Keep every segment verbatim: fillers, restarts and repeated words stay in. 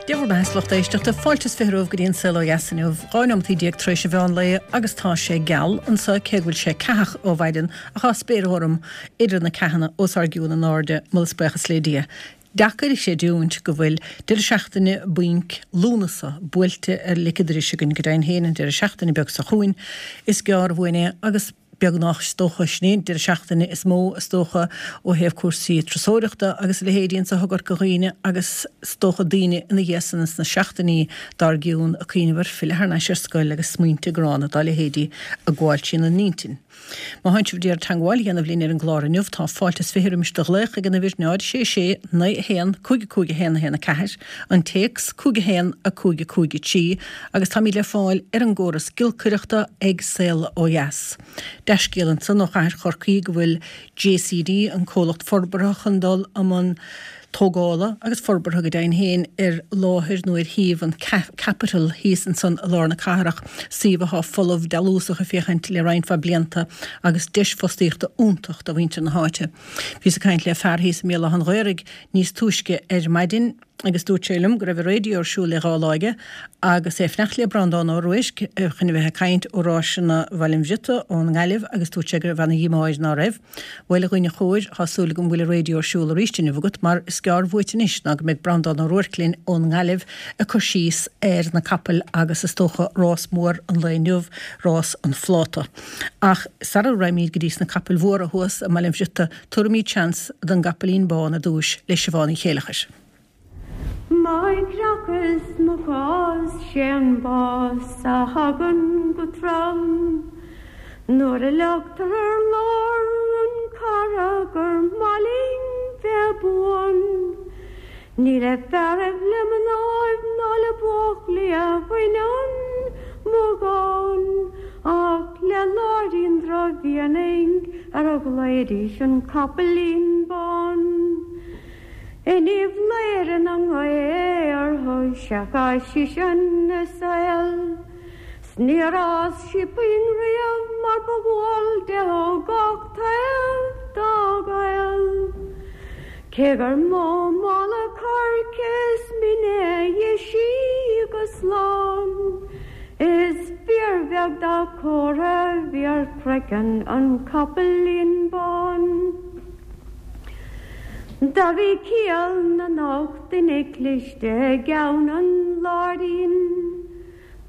Dia bhur mbeatha, a lucht éisteachta, fáilte is fiche romhaibh go dtí an Saol Ó Dheas inniu, dhá neomataí déag tar éis an mheán lae agus tá sé geal anseo cé go bhfuil sé ceathach ó mhaidin ach tá spéir ghorm idir na ceathanna os ár gcionn in airde, moladh is buíochas le Dia. Deacair a chreidiúint go bhfuil deireadh seachtaine bainc Lúnasa buailte ar lic an dorais againn, go deimhin féin an deireadh seachtaine beag seo chugainn is gearr uainn é agus beagnach is dócha, sin é an deireadh seachtaine is mó is dócha ó thaobh cúrsaí turasóireachta agus a leithéidí anso i gCorca Dhuibhne agus is dócha daoine ina dhiaidh san sna seachtainí dár gcionn ag cuimhneamh ar filleadh thar n-ais ar scoil agus smaointe gránna dá leithéidí ag gabháil trína n-intinn. Má thánn sibh d'iarraidh teangmháil a dhéanamh linn ar an gclár inniu tá fáilte is fiche roimis do ghlaoch ag an uimhir náid sé sé naoi a haon cúig a cúig a haon a haon a ceathair, an téacs cúig a haon a cúig a cúig a trí agus táimid le fáil ar an gcóras giolcaireachta ag Saol Ó Dheas. Dea-scéal ansan ó chathair Chorcaí go bhfuil J C D, an comhlacht forbartha, chun dul i mbun tógála agus forbartha go deimhin féin ar láthair nó ar shuíomh an Capitol thíos ansan i lár na cathrach, suíomh atá folamh dealúsach ag féachaint le roinnt mhaith blianta agus deis fostaíochta iontach do mhuintir na háite. Bhíos ag caint le fear thíos i mBéal Átha an Ghaorthaidh níos túisce ar maidin agus dúirt sé liom go raibh an raidió ar siúl le dhá lá aige agus é ag fanacht le Breandán Ó Ruairc chun a bheith ag caint ó Ráiseanna Bhaile an Bhriotaigh ón nGaillimh agus dúirt sé go raibh ana-dhíomá air ná raibh. Bhuel, a dhuine chóir, tá súil agam go bhfuil an raidió ar siúl arís inniu agat mar is gearr uait anois ná go mbeidh Breandán Ó Ruairc linn ón nGaillimh ag cur síos ar na capaill agus is dócha rás mór an lae inniu, rás an phláta. Ach sara raghaimid go dtí sna capaill mhóra thuas i mBaile an Bhriotaigh, tabharfaimid seans don gcapaillín bán ar dtúis le Siobhán Uí Chéileachair. Mo chreach is mo chás sé an bás a thagann go trom. Nuair a leagtar ar lár an cara gur maith linn bheith buan. Ní le fearaibh le mnáibh ná le buachaillí a bhaineann mo dhán, ach le Láirín Droichmhianaigh ar a ghlaoidís an capaillín bán. Inniu Léire na ngaor seach sí sin na saol. Níor fhás sí puinn riamh mar ba dhual di ó gach taobh dá gaol. Cé gur mó mála coirce is mine dhi sí go slán. Is fíorbheag dá chomhartha bhí ar chraiceann an capaillín bán. Do bhí ciall na n-ocht nduine cliste i gceann an Láirín.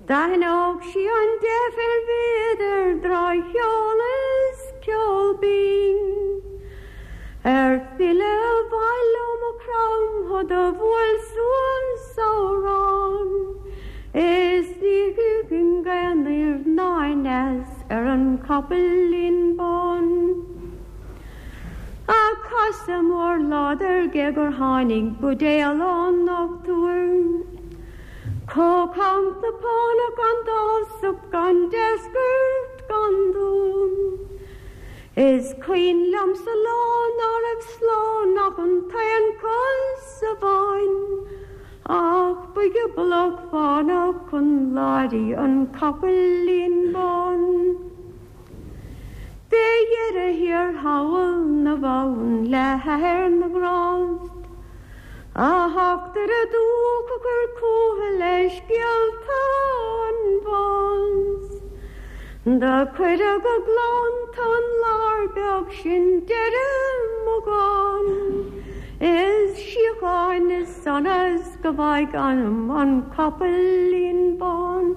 D'aithneodh sí an deifir idir drochcheol is ceol binn. Ar filleadh abhaile ó Mhaigh Chromtha do bhuail suas amhrán. Is ní thugann gaoth anoir ná aneas ar an capaillín bán. A casadh mór láidir gé gur tháinig buidéal ón ndochtúir. Chomh camta pána gan dásach gan deisceart gan dún. Is cuimhin liomsa lá ná raibh slán ach an t-aon chos amháin, ach ba ghioblach fánach chun láirí an capaillín bán. Fé dheireadh thiar thall na bhfonn le hathair na ngrást. A theacht ar a dúch a chur cútha le scéalta an bháis. Do cuireadh go gleannta an lár beag sin deireadh mo dhán. Is síocháin is sonas go bhfaigh anam an capaillín bán.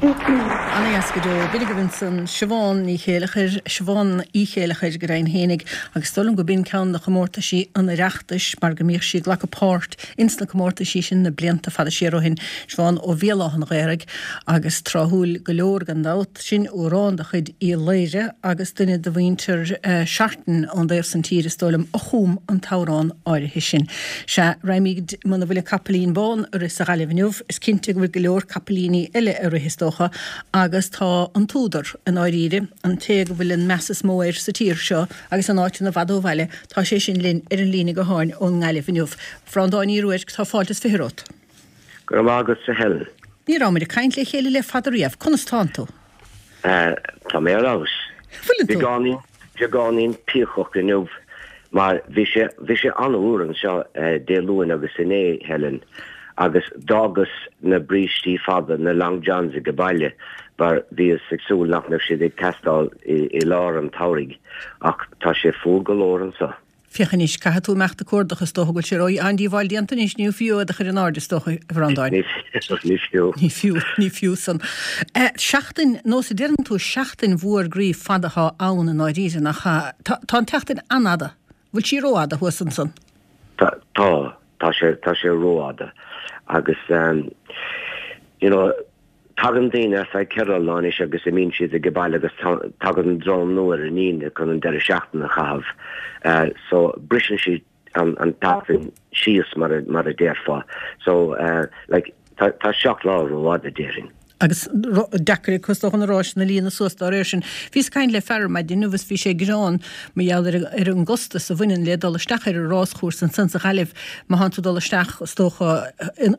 Ana-dheas go deo. B'in agaibh ansan Siobhán Ní Chéileachair, Siobhán Uí Chéileachair go deimhin fhéinig, agus is dóigh liom go b'in ceann de chomórtaisí an Oireachtais mar go mbíodh sí ag glacadh páirt ins na comórtaisí sin na blianta fada siar ó shin, Siobhán ó Bhéal Átha an Ghaorthaidh agus tráthúil go leor gan dabht, sin amhrán de chuid Uí Laoire agus duine de mhuintir Seartan ón dtaobh san tír is dóigh liom a chum an t-amhrán áirithe sin. Sea, raghaimid muna bhfuil an capaillín bán ag rith sa Ghaillimh inniu, is cinnte go bhfuil go leor capaillíní eile ag rith is dócha agus tá an t-údar i ndáiríre, an té go bhfuil an meas is mó air sa tír seo agus in áiteanna i bhfad ó bhaile, tá sé sin linn ar an líne gutháin ón nGaillimh inniu. A Bhreandáin Uí Ruairc, tá fáilte is fiche romhat. Go raibh maith agat, a Helen. Ní rabhamar ag caint le chéile le fada riamh. Conas tánn tú? Tá mé ar fheabhas. Bhfuileann tú? Beagáinín beagáinín píocach inniu Mar bhí sé bhí sé an-fhuar anseo uh, Dé Luain agus inné Helen agus d'fhágas na brístí fada na long johns ag baile mar bhíos ag súil nach mbeadh siad ag teastáil i, i lár an tsamhraidh ach tá sé fuar go leor anseo. Féach anois caithfidh tú imeacht ag cuardach is dócha go bhfuil sé ró an-díobháil déanta anois ní fiú a chur in airde is dócha a Bhreandáin. Ní ní fiú. Ní fiú ní fiú san. Eh, seachtain nó sa deireann tú seachtain mhór groí fada atá ann i ndáiríre nach tá tá an tseachtain an-fhada. Bhfuil sí rófhada thuas ansan. Tá tá tá sé tá sé rófhada agus um, you know tagann daoine ar feadh ceithre lá anois agus imíonn siad ag baile agus tagann dream nua ar an Aoine chun an deireadh seachtaine a chaitheamh. Uh, so briseann siad an an tseachtain síos mar a, mar a déarfá. So uh, like tá tá seacht lá rófhada déarfainn. Agus deacair cosach an ráis na líana suas dá réir sin. Bhíos ag caint le fear maidin agus bhí sé ag gearán mar gheall ar ar an gcostas a bhaineann le dul isteach ar an ráschúrsa ansan sa Ghaillimh má tánn tú dul isteach is dócha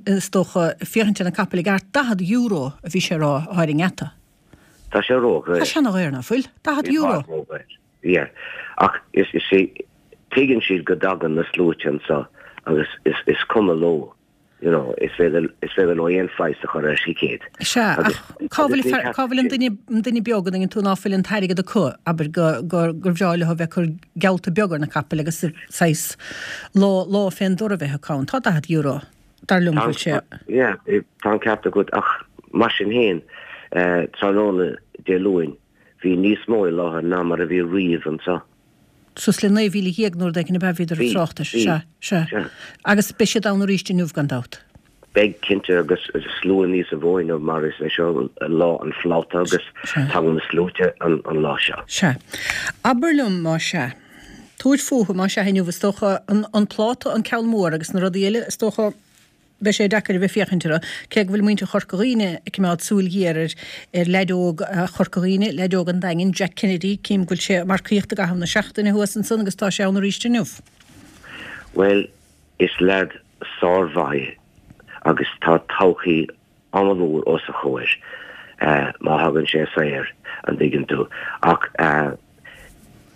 is dócha féachaint ar na capaill i gceart daichead euro a bhí sé rá ar an ngeata. Tá sé ró Tá sé an-dhaor nach bhfuil daichead euro. Yeah. Ach is is sé tuigeann siad go dtagann na sluaite anseo agus is is cuma leo. You know, is féidir is féidir leo aon phraghas a chur ar thicéad. Sea ach cá bhfuil cá bhfuil an duine an duine beag an tú ná fuil an t-airgead acu abair go go gur bhreá leo bheith cur geallta beag ar na capaill agus saghas lá lá fén dtor a bheith acu ann. Tá daichead euro dar liom bhfuil sé. Yeah, tá an ceart agat ach mar sin féin eh, tráthnóna Dé Luain bhí níos mó i láthair ná mar a bhí riamh anseo. Suas le naoi mhíle dhéag nó ag na bhíidir Bhí, tráchtas bhí, se se. sea. Agus beidh siad ann arís inniu gan dabht. Beidh cinnte agus slua níos mó inniu mar is é seo lá an phláta agus Sea. tagann na sluaite an, an lá seo. Se. Abair liom má sea. Tabhair fúthu má sea inniu is dócha an, an pláta an ceann mór agus na rudaí eile is dócha beidh sé deacair a bheith féachaint orthu cé go bhfuil muintir Chorca Dhuibhne ag coimeád súil ghéar ar ar leaid óg Chorca Dhuibhne, leaid óg an Daingin Jack Kennedy, cím go bhfuil sé marcaíocht i gcaitheamh na seachtaine thuas ansan agus tá sé ann arís inniu. Well, is leaid sármhaith agus tá todhchaí an-mhór os a chomhair uh, má thagann sé saor an dtuigeann tú ach uh,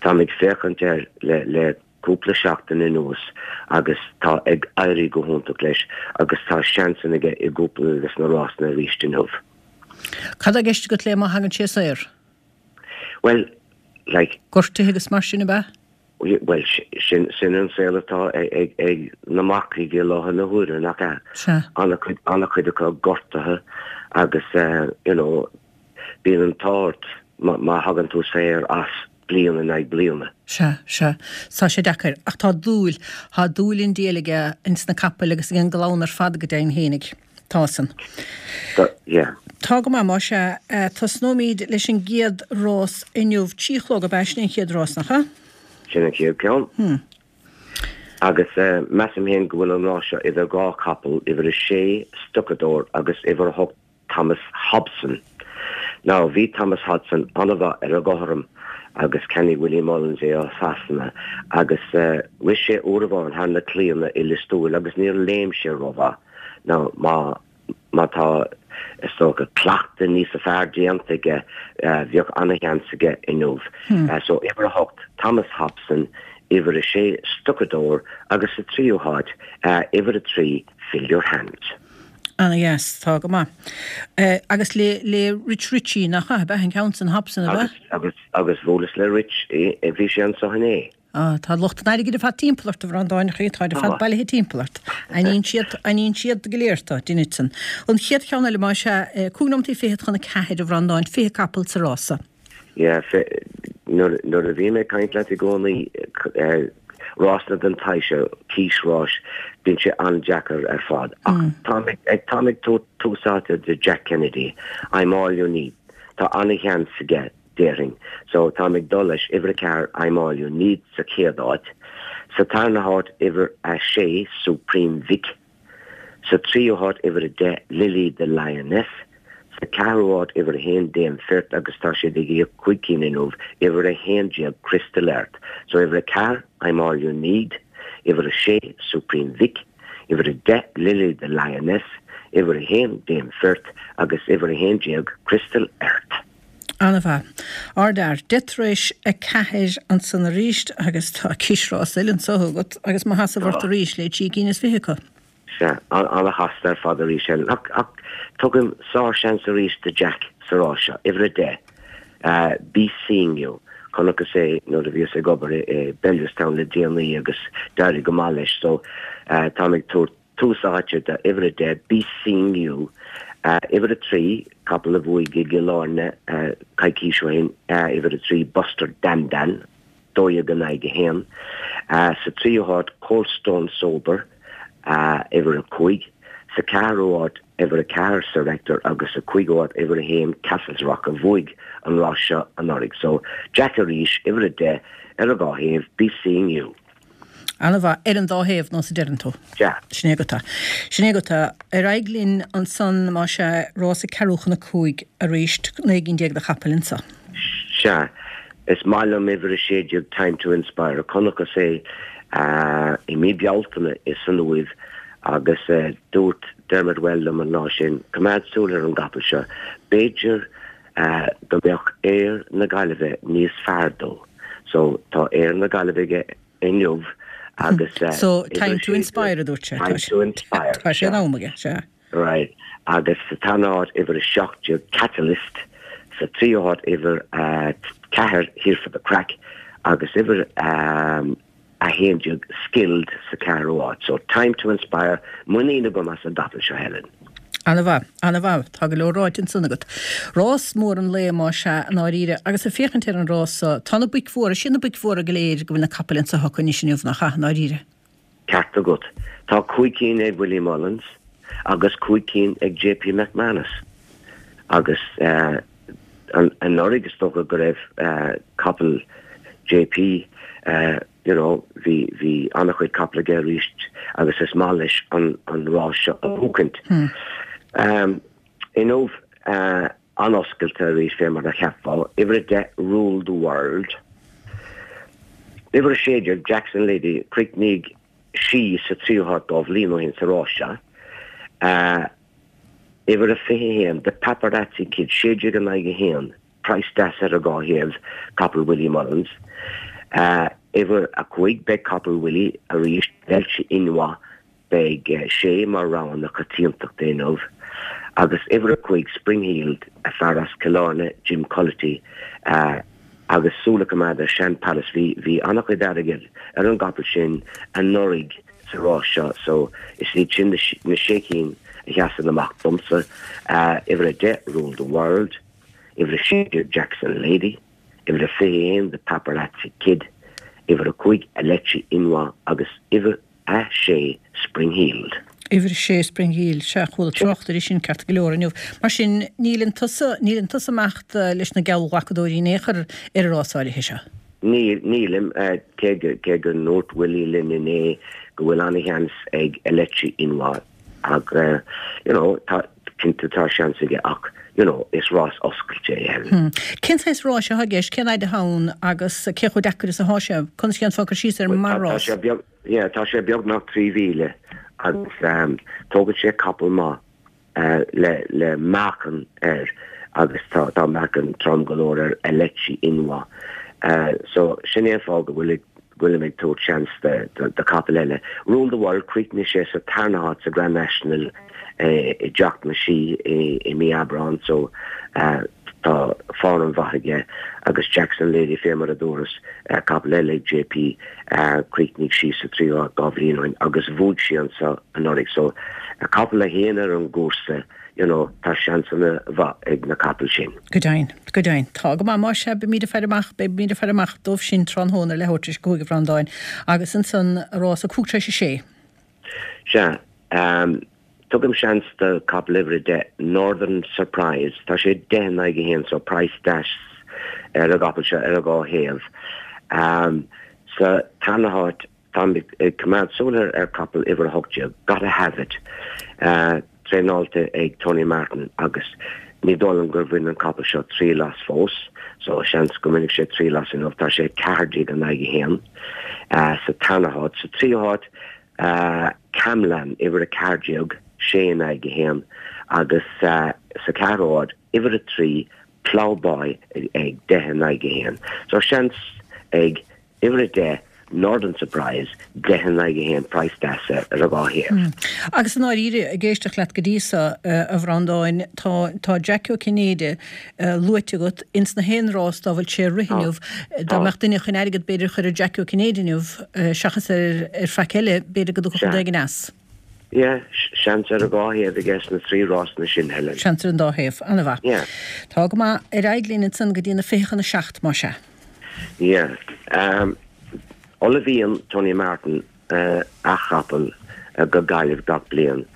tá ag féachaint air le le cúpla seachtain anuas agus tá ag éirí go hiontach leis agus tá seans aige i gcúpla agus na rásanna arís inniu. Cad atá i gceist agat le má thagann sé saor. Well, like Gortuithe agus mar sin ab ea? well sin sin an saol atá ag ag ag na marcaigh i láthair na huaire nach ea. Se. An-chuid an-chuid acu gortaithe agus uh, you know bíonn an t-ard má má thagann tú saor as bliain in aghaidh bliana. Se se Tá sé deacair ach tá dúil tá dúil an diabhail aige ins na capaill agus an glann ar fad go deimhin fhéinig. Tá san. Tá yeah. Tá go maith má sé tosnóimid leis an gcéad rás inniu trí a chlog ab ea sin an chéad rás nach ea? Sin an chéad ceann. Hmm. Agus uh, measaim féin go bhfuil an rás seo idir dhá chapall uimhir a sé Stucador agus uimhir a hocht Thomas Hobson. Now bhí Thomas Hobson an-mhaith ar an gcothrom agus cheannaigh Willie Mullins é ó Sasana agus uh, rith sé uair amháin thar na claíonna i Lios Tuathail agus níor léim sé rómhaith. Now má má tá is dócha cleachtadh níos fearr déanta aige uh, bheadh an-sheans aige inniu. Hmm. Uh, so uimhir a hocht Thomas Hobson, uimhir a sé Stucador agus sa tríú háit uh, uimhir a trí Fill Your Hands. An-dheas tá go maith. Uh, agus le le Rich Ricci nach ea ab ea an ceann sin Hobson ab ea? Agus agus agus bhuaileas le Rich i bhí sé anseo inné. Ah, tá lucht an airgid ar fad timpeall ort a Bhreandáin tá ar fad Tá. bailithe timpeall ort. Aithníonn siad aithníonn siad go léir tá duine san. An chéad cheann eile má sé cúig nóiméad fichead chun a ceathair a Bhreandáin fiche capall sa rása. Yeah, nuair nuair a bhí mé caint leat i gcónaí uh, rásanna den tsaghas cís ráis bíonn sé an-deacair ar fad. Ach tá ag tá túsáte de Jack Kennedy, I'm all you need. Tá an-sheans aige déarfainn. So tá ag dul leis uimhir a ceathair I'm all you need sa chéad áit. Sa tarna háit uimhir a sé Supreme Vic. Sa tríú háit uimhir a deich Lily the Lioness. Sa ceathrú háit uimhir a haon Dame Firt agus tá sé ag íoc cúig cinn inniu uimhir a haon déag Crystal Earth. So uimhir a ceathair I'm all you need, uimhir a sé Supreme Vic, uimhir a deich Lily the Lioness, uimhir a haon Dame Firt agus uimhir a haon déag Crystal Earth. An-mhaith. Ardfhear. Deich tar éis a ceathair ansan arís agus tá cíosrás eile anso agat agus mo sheasamh ort arís le trí cinn is fiche acu. Sea, an-chasta ar fad arís eile. Ach, ach tugaim sár-seans arís do Jack sa rás seo. Uimhir a deich, Be Seeing You. Chonacthas é nuair a bhíos ag obair i Bellewstown le déanaí agus d'éirigh go maith leis. So, táim ag tabhairt tús áite do uimhir a deich, Be Seeing You. Uimhir a trí, capall a bhuaigh i gCill Airne coicís ó shin, uimhir a trí, Buster Dandan, dó dhéag in aghaidh a haon. Sa tríú háit, Cold Stone Sober, uimhir a cúig. Sa ceathrú háit, uimhir a ceathair, Sir Hector agus sa cúigiú háit, uimhir a haon, Castles Rock a bhuaigh an rás seo anuraidh. So, Jack arís, uimhir a deich, ar an dhá thaobh, Be Seeing You. An-mhaith. Ar an dá thaobh, nós a deireann tú. Sea. Sin é agat é. Sin é agat é. Ar aghaidh linn ansan, más ea, rás a ceathrú chun a cúig arís, naoi gcinn déag de chapaill anso. Sea. Is maith liom uimhir a sé déag Time to Inspire. Chonacthas é i mí Bealtaine i san Uaimh agus dúirt Dermot Weld liom an lá sin, coimeád súil ar an gcapall seo, b'fhéidir go mbeadh aer na Gaillimhe níos fearr dó. So tá aer na Gaillimhe aige inniu agus So time to inspire a dúirt sé. Time to inspire. Tá sé in am aige, sea. Right. Agus sa tarna háit uimhir a seacht déag Catalyst, sa tríú háit uimhir a ceathair Here for the Crack agus uimhir a haon déag Skilled sa ceathrú háit. So time to inspire, muinín agam as an gcapall seo Helen. An-mhaith, an-mhaith. Tá go leor ráite ansan agat. Rás mór an lae más ea, i ndáiríre, agus ag féachaint ar an rás so, tá na boic mhóra, sin na boic mhóra go léir go bhfuil na capaill anso acu anois inniu, nach ea, i ndáiríre? Ceart agat. Tá cúig cinn ag Willie Mullins agus cúig cinn ag JP McManus. Agus anuraidh is dócha go raibh capall JP, you know, bhí, bhí an-chuid capall aige arís agus is maith leis an, an rás seo a bhuachaint. Um, inniu uh, an-oscailte arís fé mar a cheapfá, uimhir a deich Rule the World. Uimhir a sé déag Jackson Lady, chríochnaigh sí sa tríú háit dhá bhliain ó shin sa rás seo. Uh, uimhir a fiche haon The Paparazzi Kid, sé déag in aghaidh a haon, praghas deas ar an dhá thaobh, capall Willie Mullins. Uh, uimhir a cúig, beidh capall Willie arís, Velchi Inwa, beidh sé mar rogha na coitiantachta inniu. Agus uimhir a cúig, Spring Heeled, a fear as Cill Airne, Jim Culloty, uh, agus súil a choimeád ar Shand Palace, bhí, bhí an-chuid airgid ar an gcapall sin anuraidh sa rás seo, so is iad sin na, na sé cinn a sheasann amach domsa, uh, uimhir a deich, Rule the World, uimhir a sé déag, Jackson Lady, uimhir a fiche haon, The Paparazzi Kid, uimhir a cúig, Alechi Inwa agus uimhir a sé, Spring Heeled. Uimhir a sé, Spring Heeled, sea, chuala trácht air sin ceart go leor inniu. Mar sin, níleann tusa, níleann tusa ag imeacht leis na geallghlacadóirí in aon chor ar an rás áirithe seo? Níl, nílim, cé go, cé go ndúirt Willie linn inné go bhfuil an-sheans ag Alechi Inwa ach, you know, tá, cinnte tá seans aige ach, you know, is rás oscailte é Helen. Hmm. Cén saghas ráis atá i gceist, cén fhaid atá ann agus cé chomh deacair is atá sé? Conas dhéanfá cur síos air mar Tá rás? sé beag, yeah, tá sé beagnach trí mhíle agus um, tógann sé capall maith uh, le, le meáchan air agus tá, tá meáchan trom go leor ar Alechi Inwa. Uh, so sin é an fáth go bhfuil bhfuilim ag tabhairt seans de, de, de capall eile. Rule the World chríochnaigh sé sa tarna háit sa Grand National eh, i dTeach na Sí i, i mí Aibreán, so uh, tá form mhaith aige agus Jackson Lady fé mar a dúras uh, capall eile ag JP uh, chríochnaigh sí sa tríú háit dhá bhliain ó shin agus bhuaigh sí anso anuraidh. So a capall a théann ar an gcúrsa, you know, tá seansanna mhaith ag na capaill sin. Go deimhin, go deimhin. Tá go maith, más ea, beimid ag faire amach, beimid ag faire amach dóibh sin tráthnóna ar leathuair tar éis a cúig a Bhreandáin agus ansan rás a cúig tar éis a sé. Sea, um, tugaim seans do capall uimhir a deich Northern Surprise. Tá sé deich in aghaidh a haon, so praghas deas ar an gcapall seo ar an dhá thaobh. Um, sa tarna háit táim ag coimeád súil ar ar capall uimhir a hocht déag, Gotta Have It, uh, traenáilte ag Tony Martin agus ní dóigh liom gur bhain an capall seo triail as fós, so seans go mbainfidh sé triail as inniu, tá sé ceathair déag in aghaidh a haon uh, sa tarna háit. Sa tríú háit, uh, Camlan uimhir a ceathair déag, sé in aghaidh a haon agus uh, sa ceathrú háit uimhir a trí Ploughboy ag deich in aghaidh a haon. So seans ag uimhir a deich Northern Surprise deich in aghaidh a haon praghas deas ar an dhá thaobh. Agus i ndáiríre, ag éisteacht leat go dtí seo, a Bhreandáin, tá tá Jackie Ó Cinnéide luaite agat ins na haon rás dá bhfuil sé ag rith inniu. Dá mbeadh duine chun airgead b'fhéidir a chur ar Jackie Ó Cinnéide inniu seachas ar ar faic eile, b'fhéidir go dtiocfadh rud éigin as. Yeah, seans ar an dhá thaobh aige sna trí rásanna sin, Helen. Seans ar an dá thaobh. An-mhaith. Yeah. Tá go maith. Ar aghaidh linn ansan go dtí na fiche chun a seacht, más ea. Yeah. Um, ullmhaíonn Tony Martin uh, a chapall uh, go Gaillimh gach bliain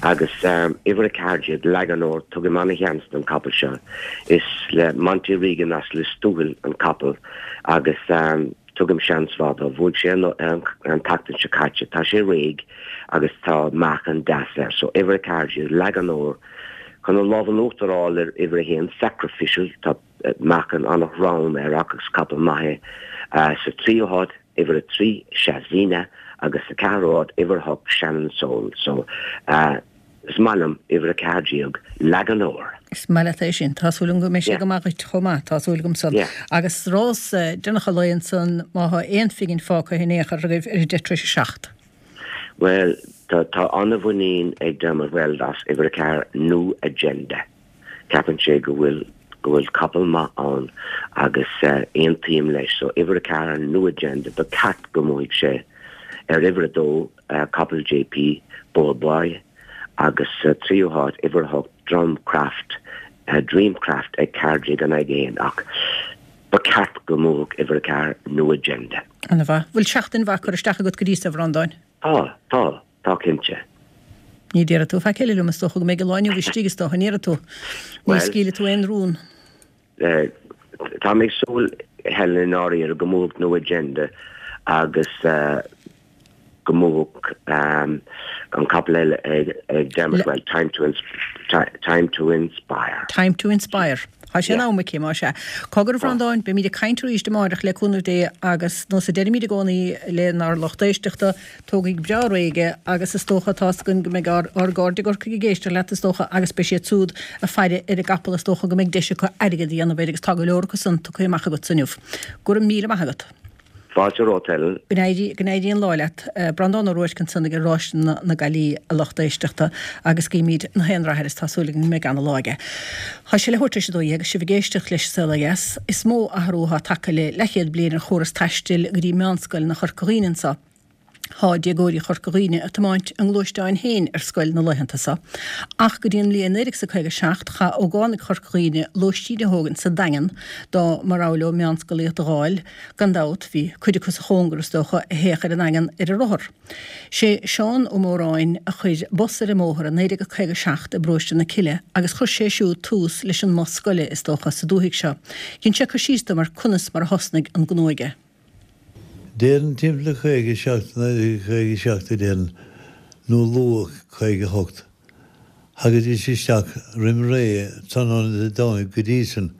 agus um, uimhir a ceathair déag Laganor tugaim an-sheans don capall seo. Is le Monty Regan as Lios Tuathail an capall agus um, Tugaim seans mhaith dó. Bhuaigh sé an tseachtain seo caite. Tá sé réidh agus tá meáchan deas air. So uimhir a ceathair déag, Laganor chun an lámh in uachtar a fháil ar uimhir a haon, Sacrificial. Tá meáchan an-throm air agus capall maith é. Sa tríú háit, uimhir a trí, Shazina agus sa ceathrú háit, uimhir a hocht, Shannon Soul. So Is maith liom uimhir a ceathair déag, Laganor. Is maith leat é sin. Tá súil agam go mbeidh sé go maith dhuit chomh maith. Tá súil agam san. Agus rás deireanach an lae ansan, má thá aon phingin fágtha in aon chor agaibh ar a deich tar éis a seacht. Bhuel, tá tá an-mhuinín ag Dermot Weld as uimhir a ceathair, New Agenda. Ceapann sé go bhfuil go bhfuil capall maith ann agus aontaím leis. So uimhir a ceathair, New Agenda, ba cheart go mbuafaidh sé ar uimhir a dó, capall JP, Bold Boy, agus sa tríú háit, uimhir a hocht, Drumcraft, Dreamcraft ag ceathair déag in aghaidh a haon ach ba cheart go mbuafadh uimhir a ceathair, New Agenda. Ana mhaith. Bhfuil seachtain mhaith curtha isteach agat go dtí so, a Bhreandáin? Tá, tá, tá cinnte. Ní déarfaidh tú faic eile liom, is dócha go mbeidh an lá inniu istigh, is dócha, an ndéarfaidh tú? Ní scaoilfidh tú aon rún. Tá mé ag súil, Helen, i ndáiríre, go mbuafadh New Agenda agus go mbuafadh an capall eile ag Dermot Weld, Time to Time to Inspire. Time to Inspire. Tá sé in am aici, más ea. Cogar, a Bhreandáin, beimid ag caint arís amáireach le cúnamh Dé agus nós a deirimid i gcónaí lenár lucht éisteachta, tógaigí go breá réidh é agus is dócha, tá's againn go mbeidh ár ár gcairde i gCorcaigh ag éisteacht leat is dócha agus beidh siad siúd ag faire ar an gcapall is dócha go mbeidh deis acu airgead a dhéanamh air agus tá go leor acu san tugtha amach agatsa inniu. Go raibh míle maith agat. Fáilte romhat, Helen. Go n-éirí, go n-éirí an lá leat. Breandán Ó Ruairc ansan ag Ráiseanna na Gaillimhe, a lucht éisteachta, agus guímid na haon rath air is tá súil againn go mbeidh ana-lá aige. Tá sé leathuair tar éis a dó dhéag agus sibh ag éisteacht leis An Saol Ó Dheas. Is mó athrú atá tagtha le leathchéad bliain ar chóras taistil go dtí meánscoileanna Chorca Dhuibhne anso. Thá déagóirí Chorca Dhuibhne ag tiomáint a ngluaisteáin féin ar scoil na laethanta so. Ach go dtí an mbliain naoi déag 's a caoga a seacht chaith ógánaigh Chorca Dhuibhne lóistín a thógaint sa Daingean dá mba rogha leo meánscolaíocht a dh'fháil. Gan dabht bhí cuid acu sa chóngar, is dócha, a théadh ar an nDaingean ar a rothar. Sé Seán Ó Móráin a chuir bus ar an mbóthar i naoi déag a caoga a seacht i bparóiste na Cille agus chuir sé siúd tús leis an mbus scoile, is dócha, sa dúthaigh seo. Dhein sé cur síos dom ar conas mar a thosnaigh an gnó aige. Déarfainn timpeall caoga seacht, naoi déag caoga seacht a déarfainn, nó luath caoga hocht. Thagaidís isteach roim ré tráthnóna Dé Domhnaigh go dtí san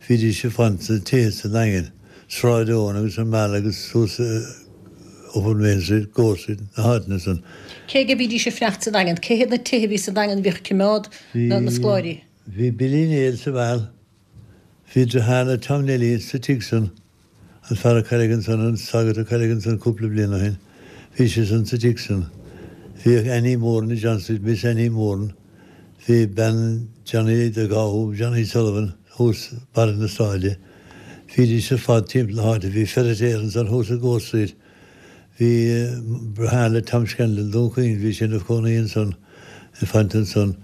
bhídís ag fanacht sna tithe sa nDaingean, Sráid Eoin agus an Meal agus suas Upper Main Street, Gore Street, na háiteanna san. Cé aige a bhídís ag fanacht sa Daingean? Cé hiad na tithe a bhí sa Daingean a bhíodh ag coimeád na scoláirí? Bhí Billy Néill sa Mheal, bhí deartháir le Tom Neilí sa tigh san. An fear a cailleadh ansan, an sagart a cailleadh ansan cúpla bliain ó shin, bhí sé san sa tigh san. Bhíodh Annie Moran i John Street, Miss Annie Moran, bhí bean Johnny the Gabha, Johnny Sullivan, thuas barra na sráide. Bhídís ar fad timpeall na háite. Bhí feiritéar ansan thuas i Gore Street. Bhí deartháir le Tom Scanlon, Dún Chaoin, bhí sé ina chónaí ansan, ag fanacht ansan.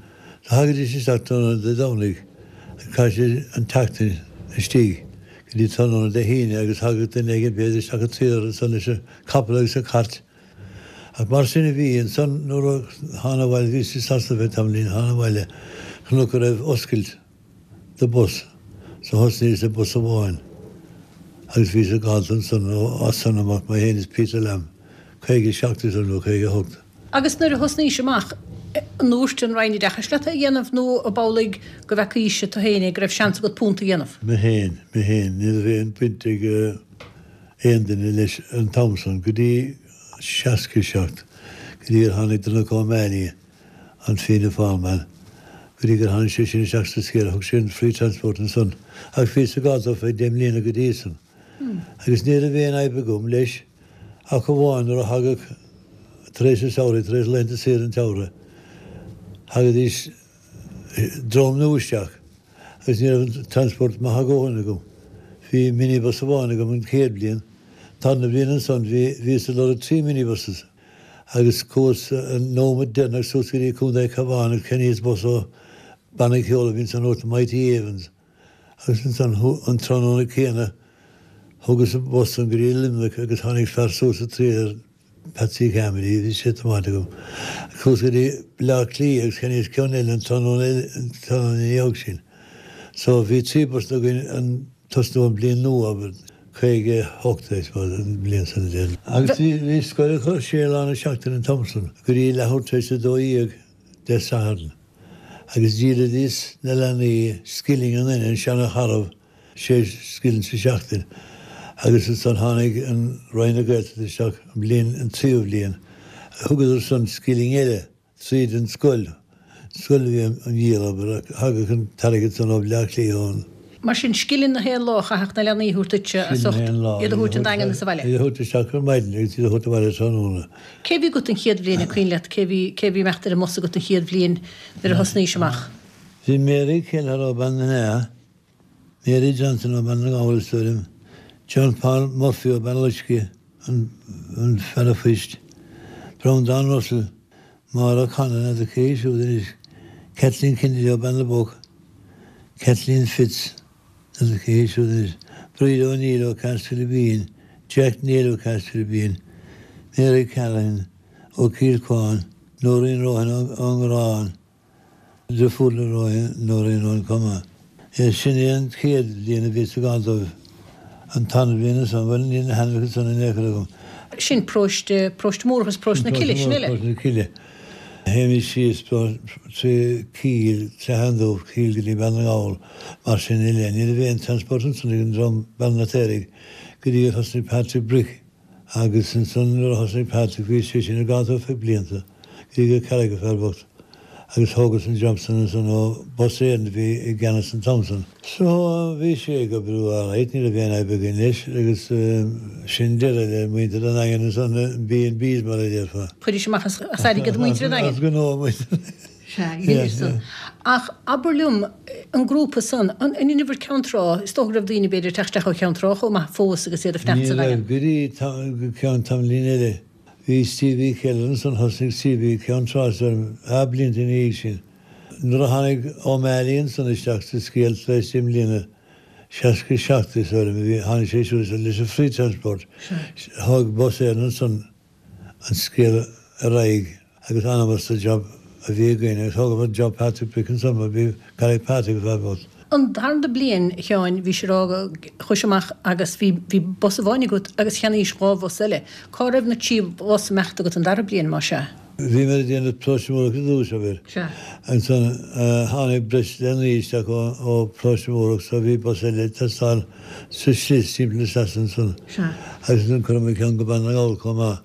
So thagaidís isteach tráthnóna Dé Domhnaigh agus chaith siad an tseachtain istigh go dtí tráthnóna Dé hAoine agus thagadh duine éigin b'fhéidir isteach an triúr ansan leis an capall agus an cairt. Ach mar sin a bhí. Ansan nuair a thána abhaile, bhíos i Sasana fé tamaillín, thána abhaile, chonac go raibh oscailt do bus so thosnaíos le bus amháin agus bhíos ag gabháilt ansan ó as san amach mé fhéin is Peter Lamb, caoga seacht is nó caoga hocht. Agus nuair a thosnaís amach, an ndúirt an Roinn Oideachais leat é a dhéanamh nó ab amhlaidh go bhfeacaís tú féin é, go raibh seans agat punt a dhéanamh? Mé féin, mé féin. Ní raibh aon bhaint ag aon duine leis an t-am san, go dtí seasca seacht, go dtí ar tháinig Donncha O'Mahony, an Fianna Fáil man, go dtí gur tháinig sé sin isteach sa scéal, thug sé an free transport ansan. Ach bhíos ag gabháil dó feadh deich mbliana go dtí san. Agus ní raibh aon fhadhb agam leis ach amháin nuair a thagadh tar éis an tsamhraidh, tar éis laethanta saoire an tsamhraidh, thagaidís dream nua isteach agus ní raibh an transport maith a dhóthain agam. Bhí minibus amháin agam an chéad bhliain, tarna bhliain ansan bhí, bhíos ag lorg trí minibuses agus chuas an nóiméad deireanach suas go dtí Contae Cabhán agus cheannaíos bus ó banna ceoil a bhí ansan ó Mighty Evans agus ansan an tráthnóna céanna thugas an bus san go dtí Luimneach agus tháinig fear suas sa trailer Patsy Carmody, bhí sé ag tiomáint agam, suas go dtí Baile Átha Cliath agus cheannaíos ceann eile an tráthnóna eile, an tráthnóna ina dhiaidh sin. So bhí trí bus againn an tosnú an bliain nua, abair, caoga a hocht I suppose, an bhliain san a déanamh. Agus bhí, bhí scoil acu sé lá na seachtaine an t-am san, go dtí leathuair tar éis a dó dhéag Dé Sathairn. Agus dhíolaidís na leanaí scilling an duine, an seana-tharaif, sé scilling sa seachtain. Agus ansan tháinig an Roinn na Gaeltachta isteach an bhliain, an tríú bhliain, thugadar san scilling eile tríd an scoil, scoil a bhí á dhíol, abair, ach thagadh an t-airgead san ó Bhleá Cliath ón. Mar sin, scilling na haon lá a chaithfeadh na leanaí a thabhairt duitse as Scilling ucht na haon lá, iad a thabhairt an Daingean is abhaile. Iad a thabhairt isteach ar maidin agus iad a thabhairt abhaile tráthnóna. Cé bhí agat an chéad bhliain, an cuimhin leat, cé bhí, cé bhí imeacht ar an mbus agat an chéad bhliain nuair a thosnaís amach? Bhí Mary Kelleher ó Bean na nEá, Mary Johnson ó Bhean na nGall is dóigh liom, John Paul Murphy ó Bhean Loiscthe, an fear a phoist, Breandán Russell, Máire O'Connor, n'fheadar cé hí siúd anois, Kathleen Kennedy ó Bean na bPoc, Kathleen Fitz, n'fheadar cé hí siúd anois, Bríd O'Neill ó Castlebeen, Jack Neil ó Castlebeen, Mary Callahan ó Chill Cuáin, Nóirín Rohan ón nGarrán, Deirfiúr le Nóirín Rohan chomh maith. Sin é an chéad bhliain a bhíos ag gabháil dóibh. An tarna bhliain ansan, bhuel, níl na hainmneacha san in aon chor agam. Sin paróiste, Paróiste Mór agus Paróiste na Cille, sin uile. Paróiste na Cille. Théimis síos trí Cill, Cloicheán Dubh, Cill go dtí Bean na nGall, mar sin uile. Ní raibh aon transport ansan ag an dream Bean na Taoraigh go dtí gur thosnaigh Patrick Brick. Agus ansan nuair a thosnaigh Patrick bhí sé sin ag gabháil dó feadh blianta, go dtí gur cailleadh an fear bocht agus thógas an job san ansan ó Bus Éireann a bhí i gceannas an t-am san. So bhí sé ag oibriú alright, ní raibh aon fhadhb againn leis agus sin deireadh le muintir an Daingin ansan, B and Bs mar a déarfá. Chuiris amach as airgead muintir an Daingin? As gnó muintir an Daingin. Sea, dheineas san. Ach abair liom, an grúpa san, an in uimhir Ceann Trá, is dócha go raibh daoine b'fhéidir ag teacht isteach ó Cheann Trá chomh maith fós agus iad ag fanacht Ní sa raibh, Daingean. go dtí go ceann tamaillín eile. Bhí Stevie Kelleher ansan, thosnaigh Stevie Ceann Trá is dóigh liom, dhá blianta ina dhiaidh sin. Nuair a tháinig O'Malley ansan isteach sa scéal tar éis deich mbliana, seasca seacht is dóigh liom a bhí, tháinig sé siúd leis an free transport, thóg Bus Éireann ansan an scéal ar aghaidh agus d'fhanamar sa job a bhí againn agus thógamar job Patrick Brick ansan mar bhí cailleadh Patrick a fear bocht. An darna bliain, a Sheáin, bhís ag rá go chuais amach agus bhí bhí bus amháin agat agus cheannaís dhá bhus eile. Cá raibh na trí bhus imeacht agat an dara bliain, más ea? Bhí mé ag déanamh Paróiste Múrach i dtús, abair. Sea. Ansan tháinig breis leanaí isteach ó ó Paróiste Múrach so bhí bus eile ag teastáil sa slis timpeall na sleasa ansan. Sea. Agus ansan chuireamar ceann go Bean na nGall chomh maith.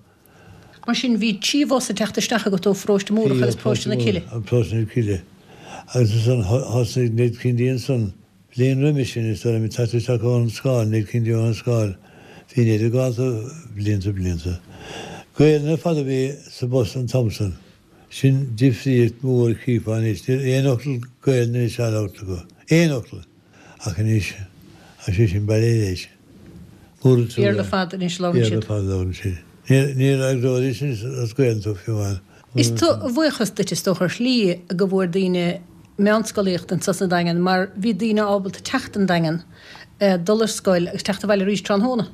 Mar sin bhí trí bhus ag teacht isteach agat ó Pharóiste Múrach agus Paróiste na Cille. Paróiste na Cille. Agus ansan thosnaigh Ned Kennedy ansan bliain roimis sin is dóigh liom ag teacht isteach ón Scáil, Ned Kennedy ón Scáil. Bhí Ned ag gabháil dó blianta blianta. Gaelainn ar fad a bhí sa bhus an t-am san. Sin difríocht mhór cheapfá anois. Níl aon fhocal Gaelainn anois á labhairt acu. Aon fhocal! Ach anois, tá sé sin bailithe leis. Mór an trua. Béarla ar fad anois a labhrann Béarla siad. ar fad a labhrann siad. Ní fhreagróidís as Gaelainn tú fiú amháin. Is a bhuíochas duit is dócha ar shlí go bhfuair daoine meánscolaíocht anso sa Daingean mar bhí daoine ábalta teacht an Daingean, dul ar scoil agus teacht abhaile arís tráthnóna.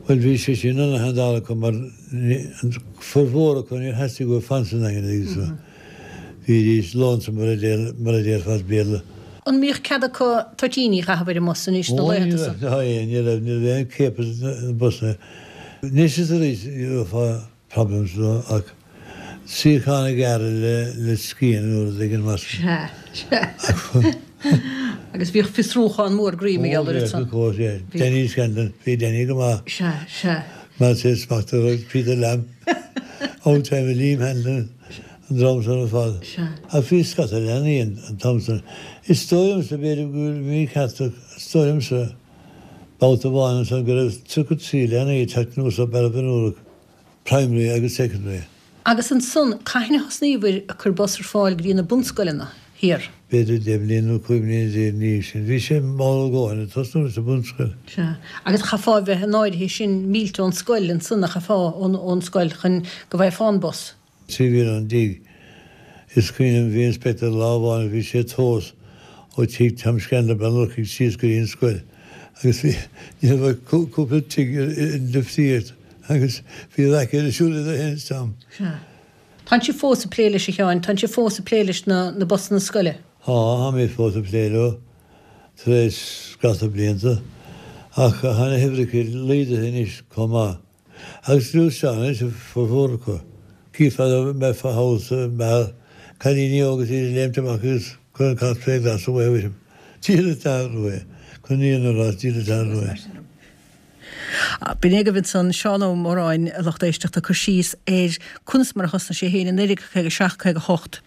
Bhuel bhí sé sin ana-shandal acu mar an formhór acu níor theastaigh uathu fan sa nDaingean agus bhídís lonesome mar a déarfá as Béarla. An mbíodh cead acu toitíní a chaitheamh ar an mbus anois sna Ó ní laethanta raibh, san? ná aon, ní raibh, ní raibh aon ciapadh sna busanna. Anois is arís gheofá problems leo ach suíochán a ghearradh le le scian nó rud éigin mar sin. Sea, sea. Agus bhíodh fiosrúchán mór groí Ó mar gheall air bhíodh, san. of course, yeah. Bhíodh. Danny Scanlon, bhí Danny go maith. Sea, sea. Mar sé smacht a raibh Peter Lamb, old timer Liam Hanlon, an dream san ar fad. Ach bhí scata leanaí an t-am san. Is dóigh liomsa, b'fhéidir go bhfuil mícheart ach is dóigh liomsa babhta amháin ansan go raibh tríocha trí leanaí ag teacht anuas ó Bealach Binn Ruadh, primary agus secondary. Agus ansan, cathain a thosnaíobhair ag cur bus ar fáil go dtí na bunscoileanna thiar? B'fhéidir deich mbliana nó cúig mbliana déag ina dhiaidh sin. Bhí sé mall a dhóthain ag tosnú sa bhunscoil. Sea. Agus chaithfeá a bheith in áirithe sin mílte ón scoil ansan a chaithfeá ón scoil chun go bhfaighfeá an bus. Trí mhíle ón dtigh. Is cuimhin liom bhí inspector lá amháin a bhí sé ag tomhas ó tigh Tom Scanlon Baile an Fhurchaidh síos go dtí an scoil agus bhí ní raibh ach cúpla tigh i ndifríocht agus bhí raic ar siúl idir é féin is Tom. Sea. Tánn sibh fós ag plé leis a Sheáin, tánn sibh fós ag plé leis na na busanna scoile? Tá, táimid fós ag plé leo tar éis scata blianta ach tá na huimhreacha laghdaithe anois chomh maith. Agus gluaisteáin anois a formhór acu. Cífeá dá mbeifeá thall sa mbeár, cailíní óga is iad ag léimt amach agus cur an cat fé ghlas away with him. Diabhal an t-athrú é. Chun an fhírinne a rá, is diabhal an t-athrú é. B'in é agaibh ansan Seán Ó Móráin, a lucht éisteachta, ag cur síos ar conas mar a thosnaigh sé féin i naoi déag caoga seacht, caoga hocht.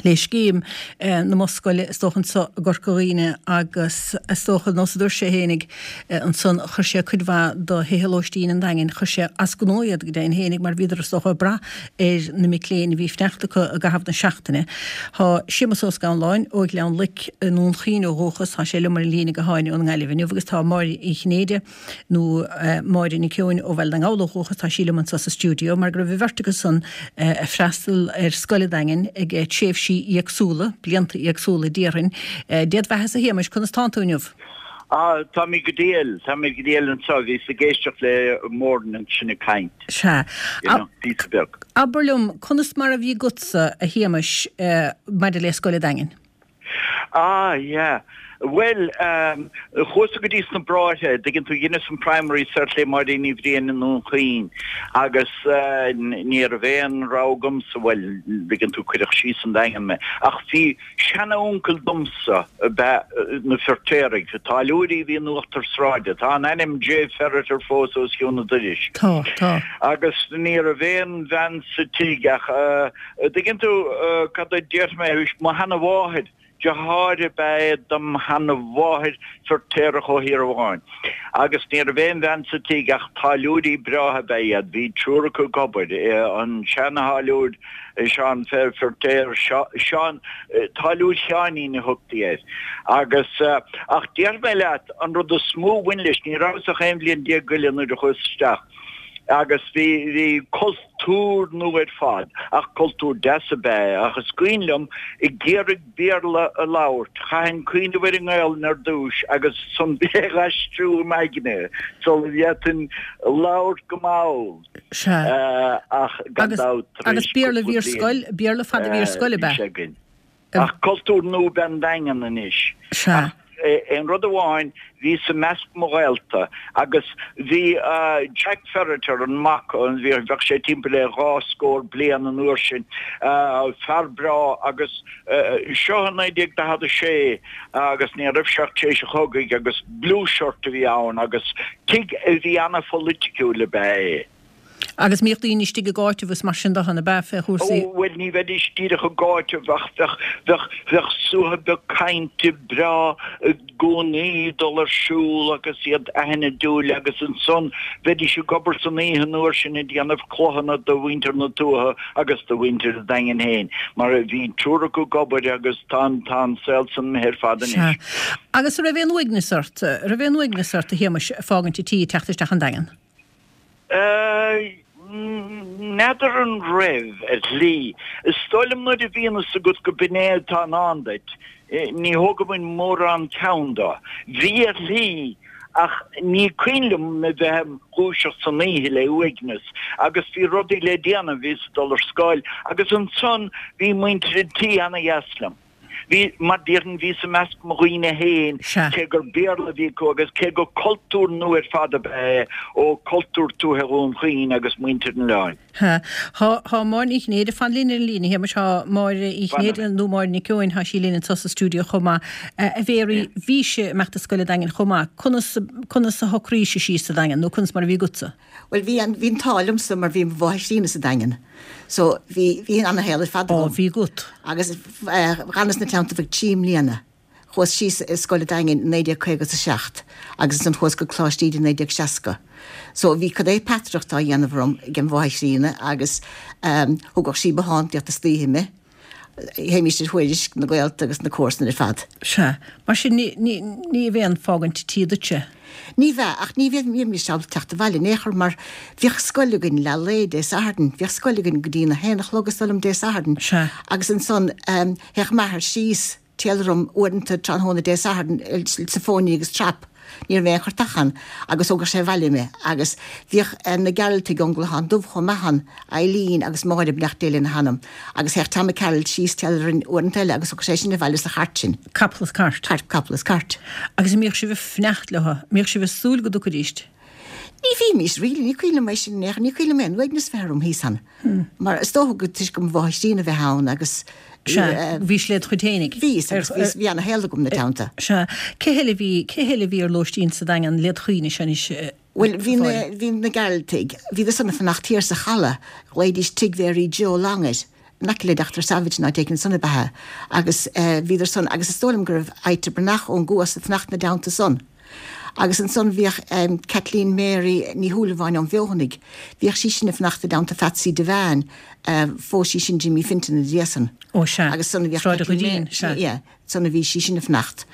le scéim na mbus scoile is dócha anso i gCorca Dhuibhne agus is dócha nós a dúirt sé fhéinig ansan chuir sé cuid mhaith do thithe lóistín an Daingin, chuir sé as gnó iad go deimhin fhéinig mar bhíodar is dócha ag brath ar na mic léinn a bhí ag fanacht acu i gcaitheamh na seachtaine. Tá Séamus Ó Scanláin ó Ghleann Loic i nDún Chaoin ó dhúchas, tá sé liom ar an líne gutháin ón nGaillimh inniu agus tá Máire Uí Chinnéide, nó Máire Nic Eoin ó Bhaile na nGall ó dhúchas, tá sí liom anso sa stiúideo, mar go raibh an bheirt acu san ag freastal ar scoil an Daingin ag tréimhsí éagsúla, blianta éagsúla déarfainn. Dé do bheathasa a Shéamais, conas tánn tú inniu? Ah, táimid go diail, táimid go diail anso, bhíos ag éisteacht le Móirín ansin ag caint. Sea. You know, píosa beag. Abair liom, conas mar a bhí agatsa, a Shéamais, maidir le Scoil an Daingin? Ah, yeah. Bhuel, ehm, chuas-sa go dtí sna Bráithre, dtuigeann tú, dheineas an primary soir le Máirín Ní Bhriain i nDún Chaoin agus eh, ní raibh aon rogha agamsa, bhuel, dtuigeann tú, cuireadh síos an Daingean mé. Ach bhí seana-uncail domsa ab ea na Feirtéaraigh, táilliúirí a bhí in uachtar sráide, tá an ainm J. Ferriter fós os cionn an dorais. Tá, tá. Agus ní raibh aon bhean sa tigh ach, eh, dtuigeann tú, eh, cad a déarfaidh mé, mo sheana-mháthair, Deartháir ab ea é dom sheana-mháthair, Feirtéarach ó Thír Eoghain. Agus ní raibh aon bhean sa tigh ach táilliúirí breátha ab ea iad. Bhí triúr acu ag obair, an seana-tháilliúir Seán Feirtéar, Seán, Táilliúir Sheáinín a thugtaí air. Agus, ach déarfaidh mé leat, an rud is mó a bhain leis, ní rabhas ach aon bhliain déag go leith nuair a chuas isteach, agus bhí, bhí cultúr nua ar fad, ach cultúr deas ab ea é, ach is cuimhin liom ag iarraidh Béarla a labhairt, chaithfinn cuimhneamh ar an nGaelainn ar dtúis agus ansan é a aistriú i m'aigne sula bhféadfainn labhairt go mall, Sea. ach gan Agus, dabht tar agus éis Béarla a cúpla bhí ar bliain scoil, Béarla fada a bhí ar scoil ab bhí ea? sé againn. Ach cultúr nua ab ea an Daingean anois. Sea. Ach aon rud amháin, bhíos i measc mo ghaolta agus bhí Jack Ferriter, an mac, bhí, bheadh sé timpeall le dhá scór bliain an uair sin, fear breá agus seo i naoi déag daichead a sé agus ní raibh sé ach tar éis an chogaidh agus blue shirt a bhí ann agus tigh a bhí ana-pholaiticiúil ab ea é. Agus mbíodh daoine istigh ag áiteamh is mar sin de, ab ea, fé chúrsaí. Ó, bhuel, ní bheidís díreach ag áiteamh ach bheadh, bheadh, bheadh suathadh beag cainte breá i gcónaí ag dul ar siúl agus iad aithnidiúil agus ansan bheidís ag obair san oíche an uair sin ag déanamh clochanna do mhuintir na tuaithe agus do mhuintir an Daingin féin mar bhí triúr acu ag obair agus tá an, tá an saol san imithe ar fad Sea. anois. Agus a' raibh aon uaigneas ort, a' raibh aon uaigneas ort, a Shéamais, fágaint an tí ag teacht isteach an Daingean? N'fheadar an raibh, ar shlí. Is dóigh liom nuair a bhíonn fhios agat go b'in é atá i ndán duit, ní thógfainn mórán ceann dó. Bhí ar shlí, ach ní cuimhin liom a bheith im dhúiseacht san oíche le uaigneas, agus bhí rudaí le déanamh, bhíos ag dul ar scoil, agus ansan bhí muintir an tí ana-dheas liom. Bhí, mar déarfainn, bhíos i measc mo dhaoine féin, Sea. cé gur Béarla a bhí acu agus cé gur cultúr nua ar fad ab ea é ó cultúr tuaithe Dhún Chaoin agus muintir an oileáin. Tá Tá Máire Ní Chinnéide, fan linn ar an líne, a Shéamais, tá Máire Uí Chinnéide nó Máire Nic Eoin, tá sí linn anseo sa stiúideo chomh maith. A Mhéaraí, bhís ag imeacht ar scoil an Daingin chomh maith. Conas conas a shocraís síos sa Daingean nó conas mar a bhí agatsa? Bhuel bhí an bhí an t-ádh liomsa mar bhí mo mháthair chríonna sa Daingean. So bhí bhí ana-shaol ar fad Ó agam. bhí agat. Agus dh'fhanas ina teannta ar feadh trí mbliana. Chuas síos ar scoil an Daingin i naoi déag caoga is a seacht agus ansan chuas go Coláiste Íde i naoi déag seasca. So bhí cad é peataireacht á dhéanamh orm ag an mháthair chríonna agus thugadh sí bothántaíocht istoíche mé. Théimís ar Thuairisc, na gaolta agus na comharsana ar fad. Sea. Mar sin ní, ní, ní bheadh aon fágaint tí duitse. Ní bheadh, ach ní bheadh, ní bheimis ábalta teacht abhaile in aon chor mar bhíodh scoil againn leath lae Dé Sathairn, bhíodh scoil againn go dtí na haon a chlog is dóigh liom Dé Sathairn. Sea. Agus ansan théadh m'athair síos timpeall orm uaireanta tráthnóna Dé Sathairn sa phony agus trap. Ní raibh aon churtach ann agus thógadh sé abhaile mé agus bhíodh na Gearaltaigh ón gClochán Dubh chomh maith ann, Eileen agus Máire beannacht Dé lena hanam, agus théadh Tommy Carroll síos timpeall orainn uaireanta eile agus thógadh sé sinn abhaile sa chairt sin. Capall is cairt. Cairt, capall is cairt. Agus an mbíodh sibh ag fanacht leo? An mbíodh sibh ag súil go dtiocfaidís? Ní bhímís, really, ní cuimhin liom é sin in aon chor, ní cuimhin liom aon uaigneas bheith orm thíos ann. Mar is dócha go toisc go mo mháthair chríonna a bheith ann agus Sea, bhís led chuid fhéinig. Bhíos, agus bhíos, bhí ana-shaol agam ina teannta. Sea. Cé heile a bhí, cé heile a bhí ar lóistín sa Daingean led chuimhne-se anois, a Bhuel, bhí na, Mháire? bhí na Gearaltaigh, bhíodar san ag fanacht thiar sa chaladh, ghlaoidís Tigh Mhéaraí Joe Long air, in aice le Dochtúir Savage nó áit éigin ansan ab ea é, agus bhíodar san, agus is dóigh liom go raibh Ita Breathnach ón gCuas ag fanacht ina dteannta san. Agus ansan bhíodh Kathleen Mary Ní Shúilleabháin ón bhFeothanaigh, bhíodh sí sin ag fanacht i dteannta Phatsy Devane, phós sí sin Jimmy Fintan ina dhiaidh san. Ó sea, Agus san a bhíodh Sráid an Kathleen Ghoirín, Mary, sea. yeah, san a bhí sí sin ag fanacht.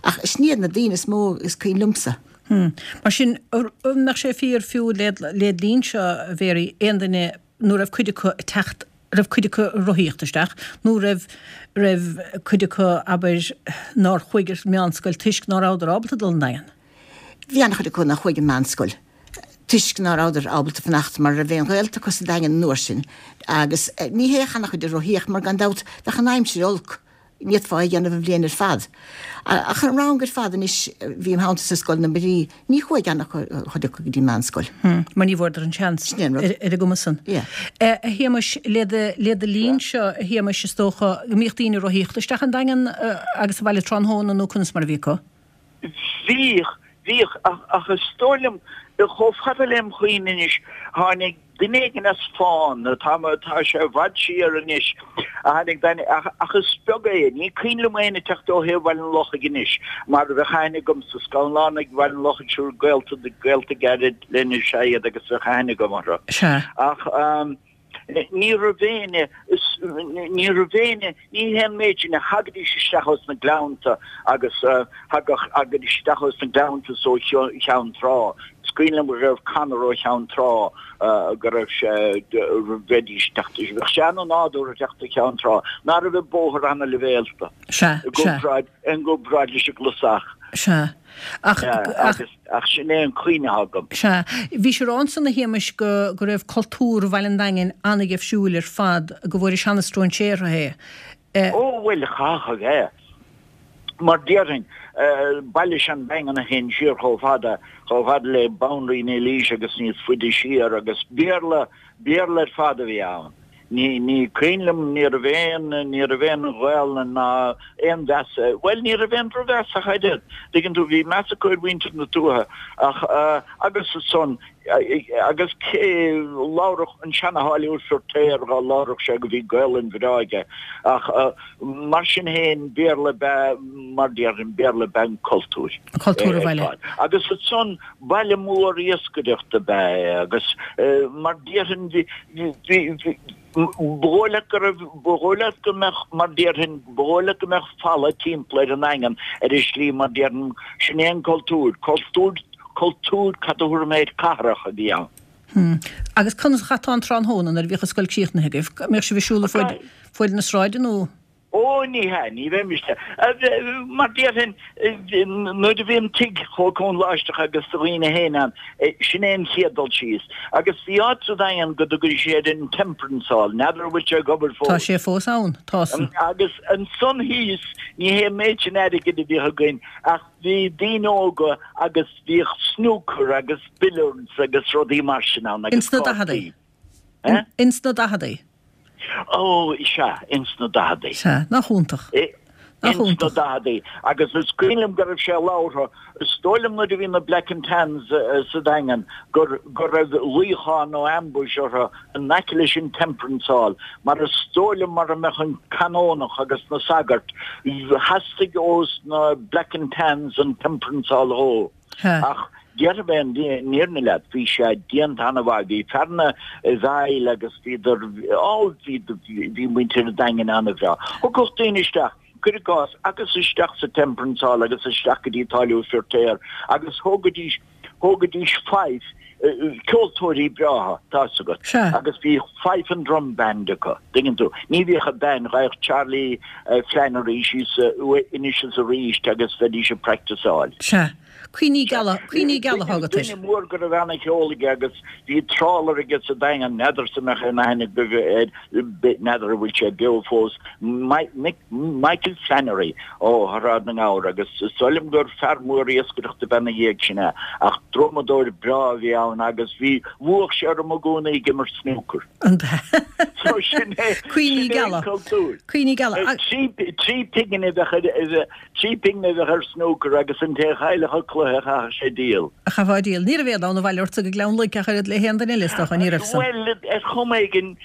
Ach sin iad na daoine is mó is cuimhin liomsa. Hmm. Mar sin, an mbeadh sé fíor fiú led, led linnse, a Mhéaraí, aon duine nó raibh cuid acu ag teacht, raibh cuid acu ag rothaíocht isteach, nó raibh, raibh cuid acu, abair, nár chuaigh ar meánscoil toisc ná rabhadar ábalta dul an Daingean? Bhí an-chuid acu nár chuaigh an meánscoil toisc ná rabhadar ábalta fanacht mar raibh aon ghaolta acu sa Daingean an uair sin agus ní théadh an-chuid ag rothaíocht mar gan dabht bheadh an aimsir olc. Ní fhéadfá é a dhéanamh an bhliain ar fad. Ach an rang ar fad anois, bhí im theannta sa scoil na Mairí, ní chuaigh an-chuid acu go dtí meánscoil. Mar ní bhfuaireadar an seans Sin é an rud. ar an gcuma san. Yeah. A Shéamais, le do le do linn seo, a Shéamais, is dócha go mbíodh daoine ag rothaíocht isteach an Daingean agus abhaile tráthnóna nó conas mar a bhí acu? Bhíodh, bhíodh, ach, ach is dóigh liom, chomh fada lem chuimhne anois, tháinig duine éigin as Fána, tá, tá sé i bhfad siar anois, a tháinig duine, ach, ach is beag é, ní cuimhin liom éinne ag teacht ó thaobh Bhaile an Lochaigh anois, mar bheadh aithne agamsa, Scanlánaigh Bhaile an Lochaigh, siúr gaolta, gaolta gairid linn is ea iad agus bheadh aithne agam orthu. Sea. Ach, Ní raibh éinne, ní raibh éinne, ní hé an méid sin a thagaidís isteach ós na gleannta agus thagadh, thagaidís isteach ós na gleannta is ó Cheann Trá. Is cuimhin liom go raibh Conor ó Cheann Trá, go raibh sé, bheidís ag teacht, bheadh sé ana-nádúrtha teacht ó Cheann Trá, ná raibh an bóthar ana-leibhéalta Sea, i sea. gcomparáid, i gcomparáid leis an gclasach. Sea. Ach, ach. Ach sin é an chuimhne atá agam. Sea. Bhís ag rá ansan, a Shéamais, go, go raibh cultúr Bhaile an Daingin ana-gheimhsiúil ar fad, go bhfuair an seana-stróinséartha é. Eh. Ó, bhuel, chaithfeadh a bheith. Mar déarfainn, baile is ea an Daingean a théann siar chomh fada, chomh fada le Banríon Eilís agus níos faide siar agus Béarla, Béarla ar fad a bhí ann. Ní, ní cuimhin liom, ní raibh aon, ní raibh aon Ghaolainn ná aon mheas, bhuel, ní raibh aon drochmheas ach oiread, tuigeann tú, bhí meas acu ar mhuintir na tuaithe ach, agus ansan, agus cé, labhradh an seana-tháilliúir Feirtéar dhá labhradh sé go bhí Gaolainn bhreá aige ach mar sin féin, Béarla ab ea, mar déarfainn, Béarla ab ea an cultúr Cultúr an ar bhaile. fad. Agus ansan, baile mór iascaireachta ab ea é agus mar déarfainn, bhí, Bhí, bhí, ba dhóigh leat go raibh, ba dhóigh leat go mbeadh, mar déarfainn, ba dhóigh leat go mbeadh falla timpeall ar an nDaingean ar an slí mar déarfainn, sin é an cultúr, cultúr, cultúr, cad a thabharfaidh mé air, cathrach a bhí ann. Hmm. Agus conas a chaiteá an tráthnóna nuair a bhíodh an scoil críochnaithe agaibh? An mbíodh sibh ag siúl fuaid, fuaid na sráide nó? Ó, ní hea, ní bheimis. Mar déarfainn, nuair a bhí an tigh chomh cúng láisteach agus do dhaoine féin ann, sin é an chéad dul síos. Agus bhí áit sa Daingean go dtugaidís air an Temperance Hall, n'fheadar an bhfuil sé ag obair Tá fós. sé fós ann, tá san. Agus ansan thíos, ní hé an méid sin airgid a bhíodh againn ach bhí daoine óga agus bhíodh snooker agus billiards agus rudaí mar sin ann agus Ins na cártaí. daicheadaí. Eh? Ins na daicheadaí? Ó, sea, ins na daicheadaí. Sea, nach iontach. Nach Ins na iontach. daicheadaí. Agus is cuimhin liom go raibh sé labhartha, is dóigh liom nuair a bhí na Black and Tans sa Daingean gur go raibh luíochán nó ambush orthu in aice leis an Temperance Hall, mar is dóigh liom mura mbeadh an Canónach agus na sagairt, theastaigh ós na Black and Tans an Temperance Hall a dhó. Ach déarfaidh mé an fhírinne leat, bhí sé déanta an-mhaith, bhí fear na bhfeighil agus bhíodar, á, bhí, bhí muintir an Daingin an-bhreá. Thiocfadh daoine isteach, cuir i gcás, agus isteach sa Temperance Hall agus isteach go dtí Táilliúir Feirtéar agus thógaidís, thógaidís fife, ceoltóirí breátha, tá's agat, agus bhí fife and drum band acu, tuigeann tú. Ní bhíodh an band, ghabhadh Charlie Flannery síos anois is arís agus bheidís ag practiceáil. Sea. Cuimhní geala, cuimhní geala atá agat air. Duine mór go raibh ana-cheol aige agus bhí trawler aige sa Daingean, n'fheadarsa an mbeadh aon aithne agaibh air, n'fheadar an bhfuil sé beo fós, Michael Flannery ó Shráid na nGabhar agus is dóigh liom gur fear mór iascaireachta ab ea ina dhiaidh sin é ach drumadóir breá a bhí ann agus bhí, bhuadh sé orm i gcónaí ag imirt snúcar. An b'ea? So sin é, Cuimhní sin é an geala. cultúr. Cuimhní geala. Trí, trí pingin a bheadh ar, trí pingin a bheadh ar snúcar agus an té a chaillfeadh an cluiche chaithfeadh sé díol. Chaithfeá díol. Ní raibh éad ann abhaile ortsa go Gleann Lurg ach oiread le haon duine eile is dócha, ní raibh san. Bhuel, ar chuma éigin,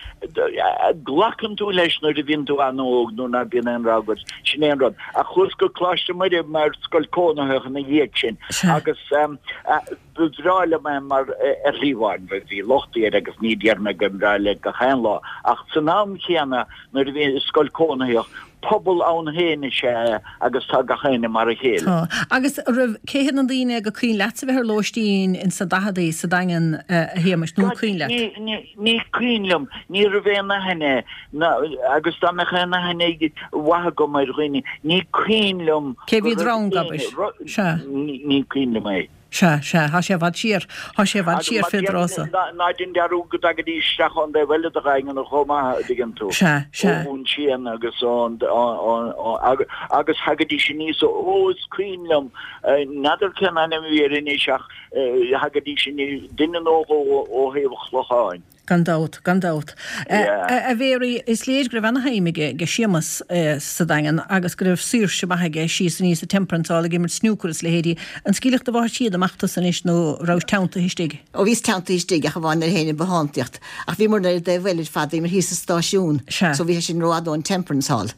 glacann tú leis nuair a bhíonn tú an-óg nuair ná bíonn aon rogha agat, sin é an rud. Ach chuas go Coláiste Muire mar scoil cónaitheach ina dhiaidh sin agus ba bhreá liom é mar ar shlí amháin, bhí lochtaí air agus ní déarfaidh mé go mbreá leat gach aon lá, ach san am chéanna nuair a bhí scoil cónaitheach, pobal ann féin is ea é agus tá gach éinne mar a chéile. Tá. Agus raibh, cé hiad na daoine gur cuimhin leatsa bheith ar lóistín ins na daicheadaí sa Daingean, a Shéamais, nó an cuimhin leat? Ní, ní, ní cuimhin liom. Ní raibh aon aithne, ná, agus dá mbeadh aon aithne mhaith agam ar dhaoine, ní cuimhin liom Cé go bhí raibh drong, éinne, abair? ru, Sea. ní, ní cuimhin liom é. Sea, sea, thá sé i bhfad siar, thá sé i bhfad Agus siar mar fé déarfainn, dtráth so. ná, ná déan dearúd go dtagaidís isteach ón dtaobh eile de Dhaingean chomh maith, a dtuigeann tú. Sea, sea. Ón tSian agus ón, ón, ón, agus, agus thagaidís aníos ó, ó, is cuimhin liom, n'fheadar cén ainm a bhí air anois ach thagaidís aníos, duine nó dhó ó thaobh an Chlocháin. Gan dabht, gan dabht. A Mhéaraí, is léir go raibh ana-shuim aige Séamas sa Daingean agus go raibh saoirse maith aige síos aníos sa Temperance Hall ag imirt snúcair is leithéidí. An scaoilfeadh do mháthair siad amach tusa anois nó rabhais teanntaithe istigh? Ó bhíos teanntaithe istigh ach amháin nuair a théinn ag bothántaíocht. Ach bhíomar ar an dtaobh eile ar fad, bhíomar thíos sa stáisiún. So bhí sé sin rófhada ón Temperance Hall.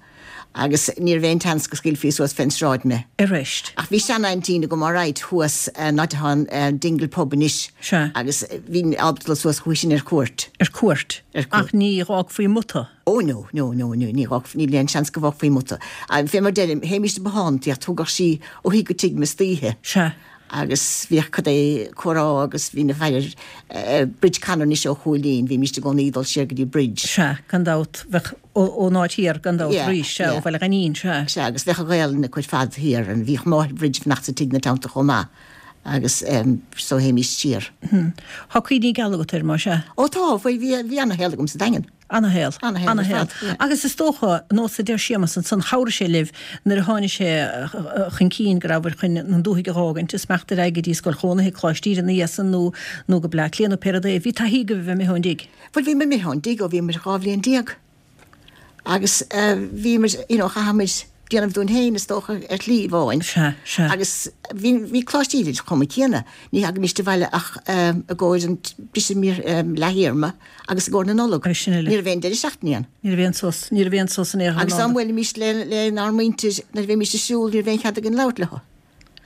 Agus ní raibh aon tseans go scaoilfí suas fén sráid mé. Arís. Ach bhí sean-aintín agam alright thuas an áit atá an Dingle Pub anois. Sea. Agus bhínn ábalta dul suas chuici sin ar cuairt. Ar cuairt. Ar cuairt. Ach ní dh'fhágfaí amuigh tu. Ó no, no, no, no, ní dh'fhágfaí, níl aon seans go bhfágfaí amuigh tu. Fé mar deirim, théimíst ag bothántaíocht, thugadh sí ó thigh go tigh mé istoíche. Sea. Agus bhíodh cad é comhrá agus bhí na fear Bridge Conor anois ó Chúilín, bhímíst i gcónaí ag dul siar go dtí Bridge. Sea, gan dabht, bheadh ón áit thiar gan dabht arís, sea, ó Bhaile Ghainín, sea. Sea, agus bheadh an Ghaelainn acu ar fad thiar, and bhíodh máthair Bridge fanacht sa tigh ina teannta chomh maith agus so théimíst siar. Tá cuimhní geala agat air, más ea? Ó tá, bhuel bhí, bhí ana-shaol agam sa Daingean. Ana-shaol. Ana-shaol ar fad, yeah. Agus is dócha, nós a deir Séamas ansan, chabhraigh sé libh nuair a tháinig sé chun cinn go rabhabhair chun an dúthaigh a dh'fhágaint is imeacht ar aghaidh go dtí scoil chónaithe, Coláiste Íde ina dhiaidh san nó nó go Bleá Cliath nó pé rud é. Bhí taithí agaibh a bheith imithe ón dtigh. Bhuel, bhíomar imithe ón dtigh ó bhíomar dhá bhliain déag. Agus bhíomar, you know, chaithfimid déanamh dúinn féin, is dócha, ar shlí amháin. Sea, sea. Agus bhí, bhí Coláiste Íde chomh maith céanna. Ní thagaimíst abhaile ach i gcomhair an briseadh leaththéarma agus i gcomhair na Nollag. Agus sin uile. Ní raibh aon deireadh seachtaine ann. Ní raibh aon sos, ní raibh aon sos in aon chor Agus dá mbuailimíst le, lenár muintir, nuair a bheimíst ag siúl, ní raibh aon chead againn labhairt leo.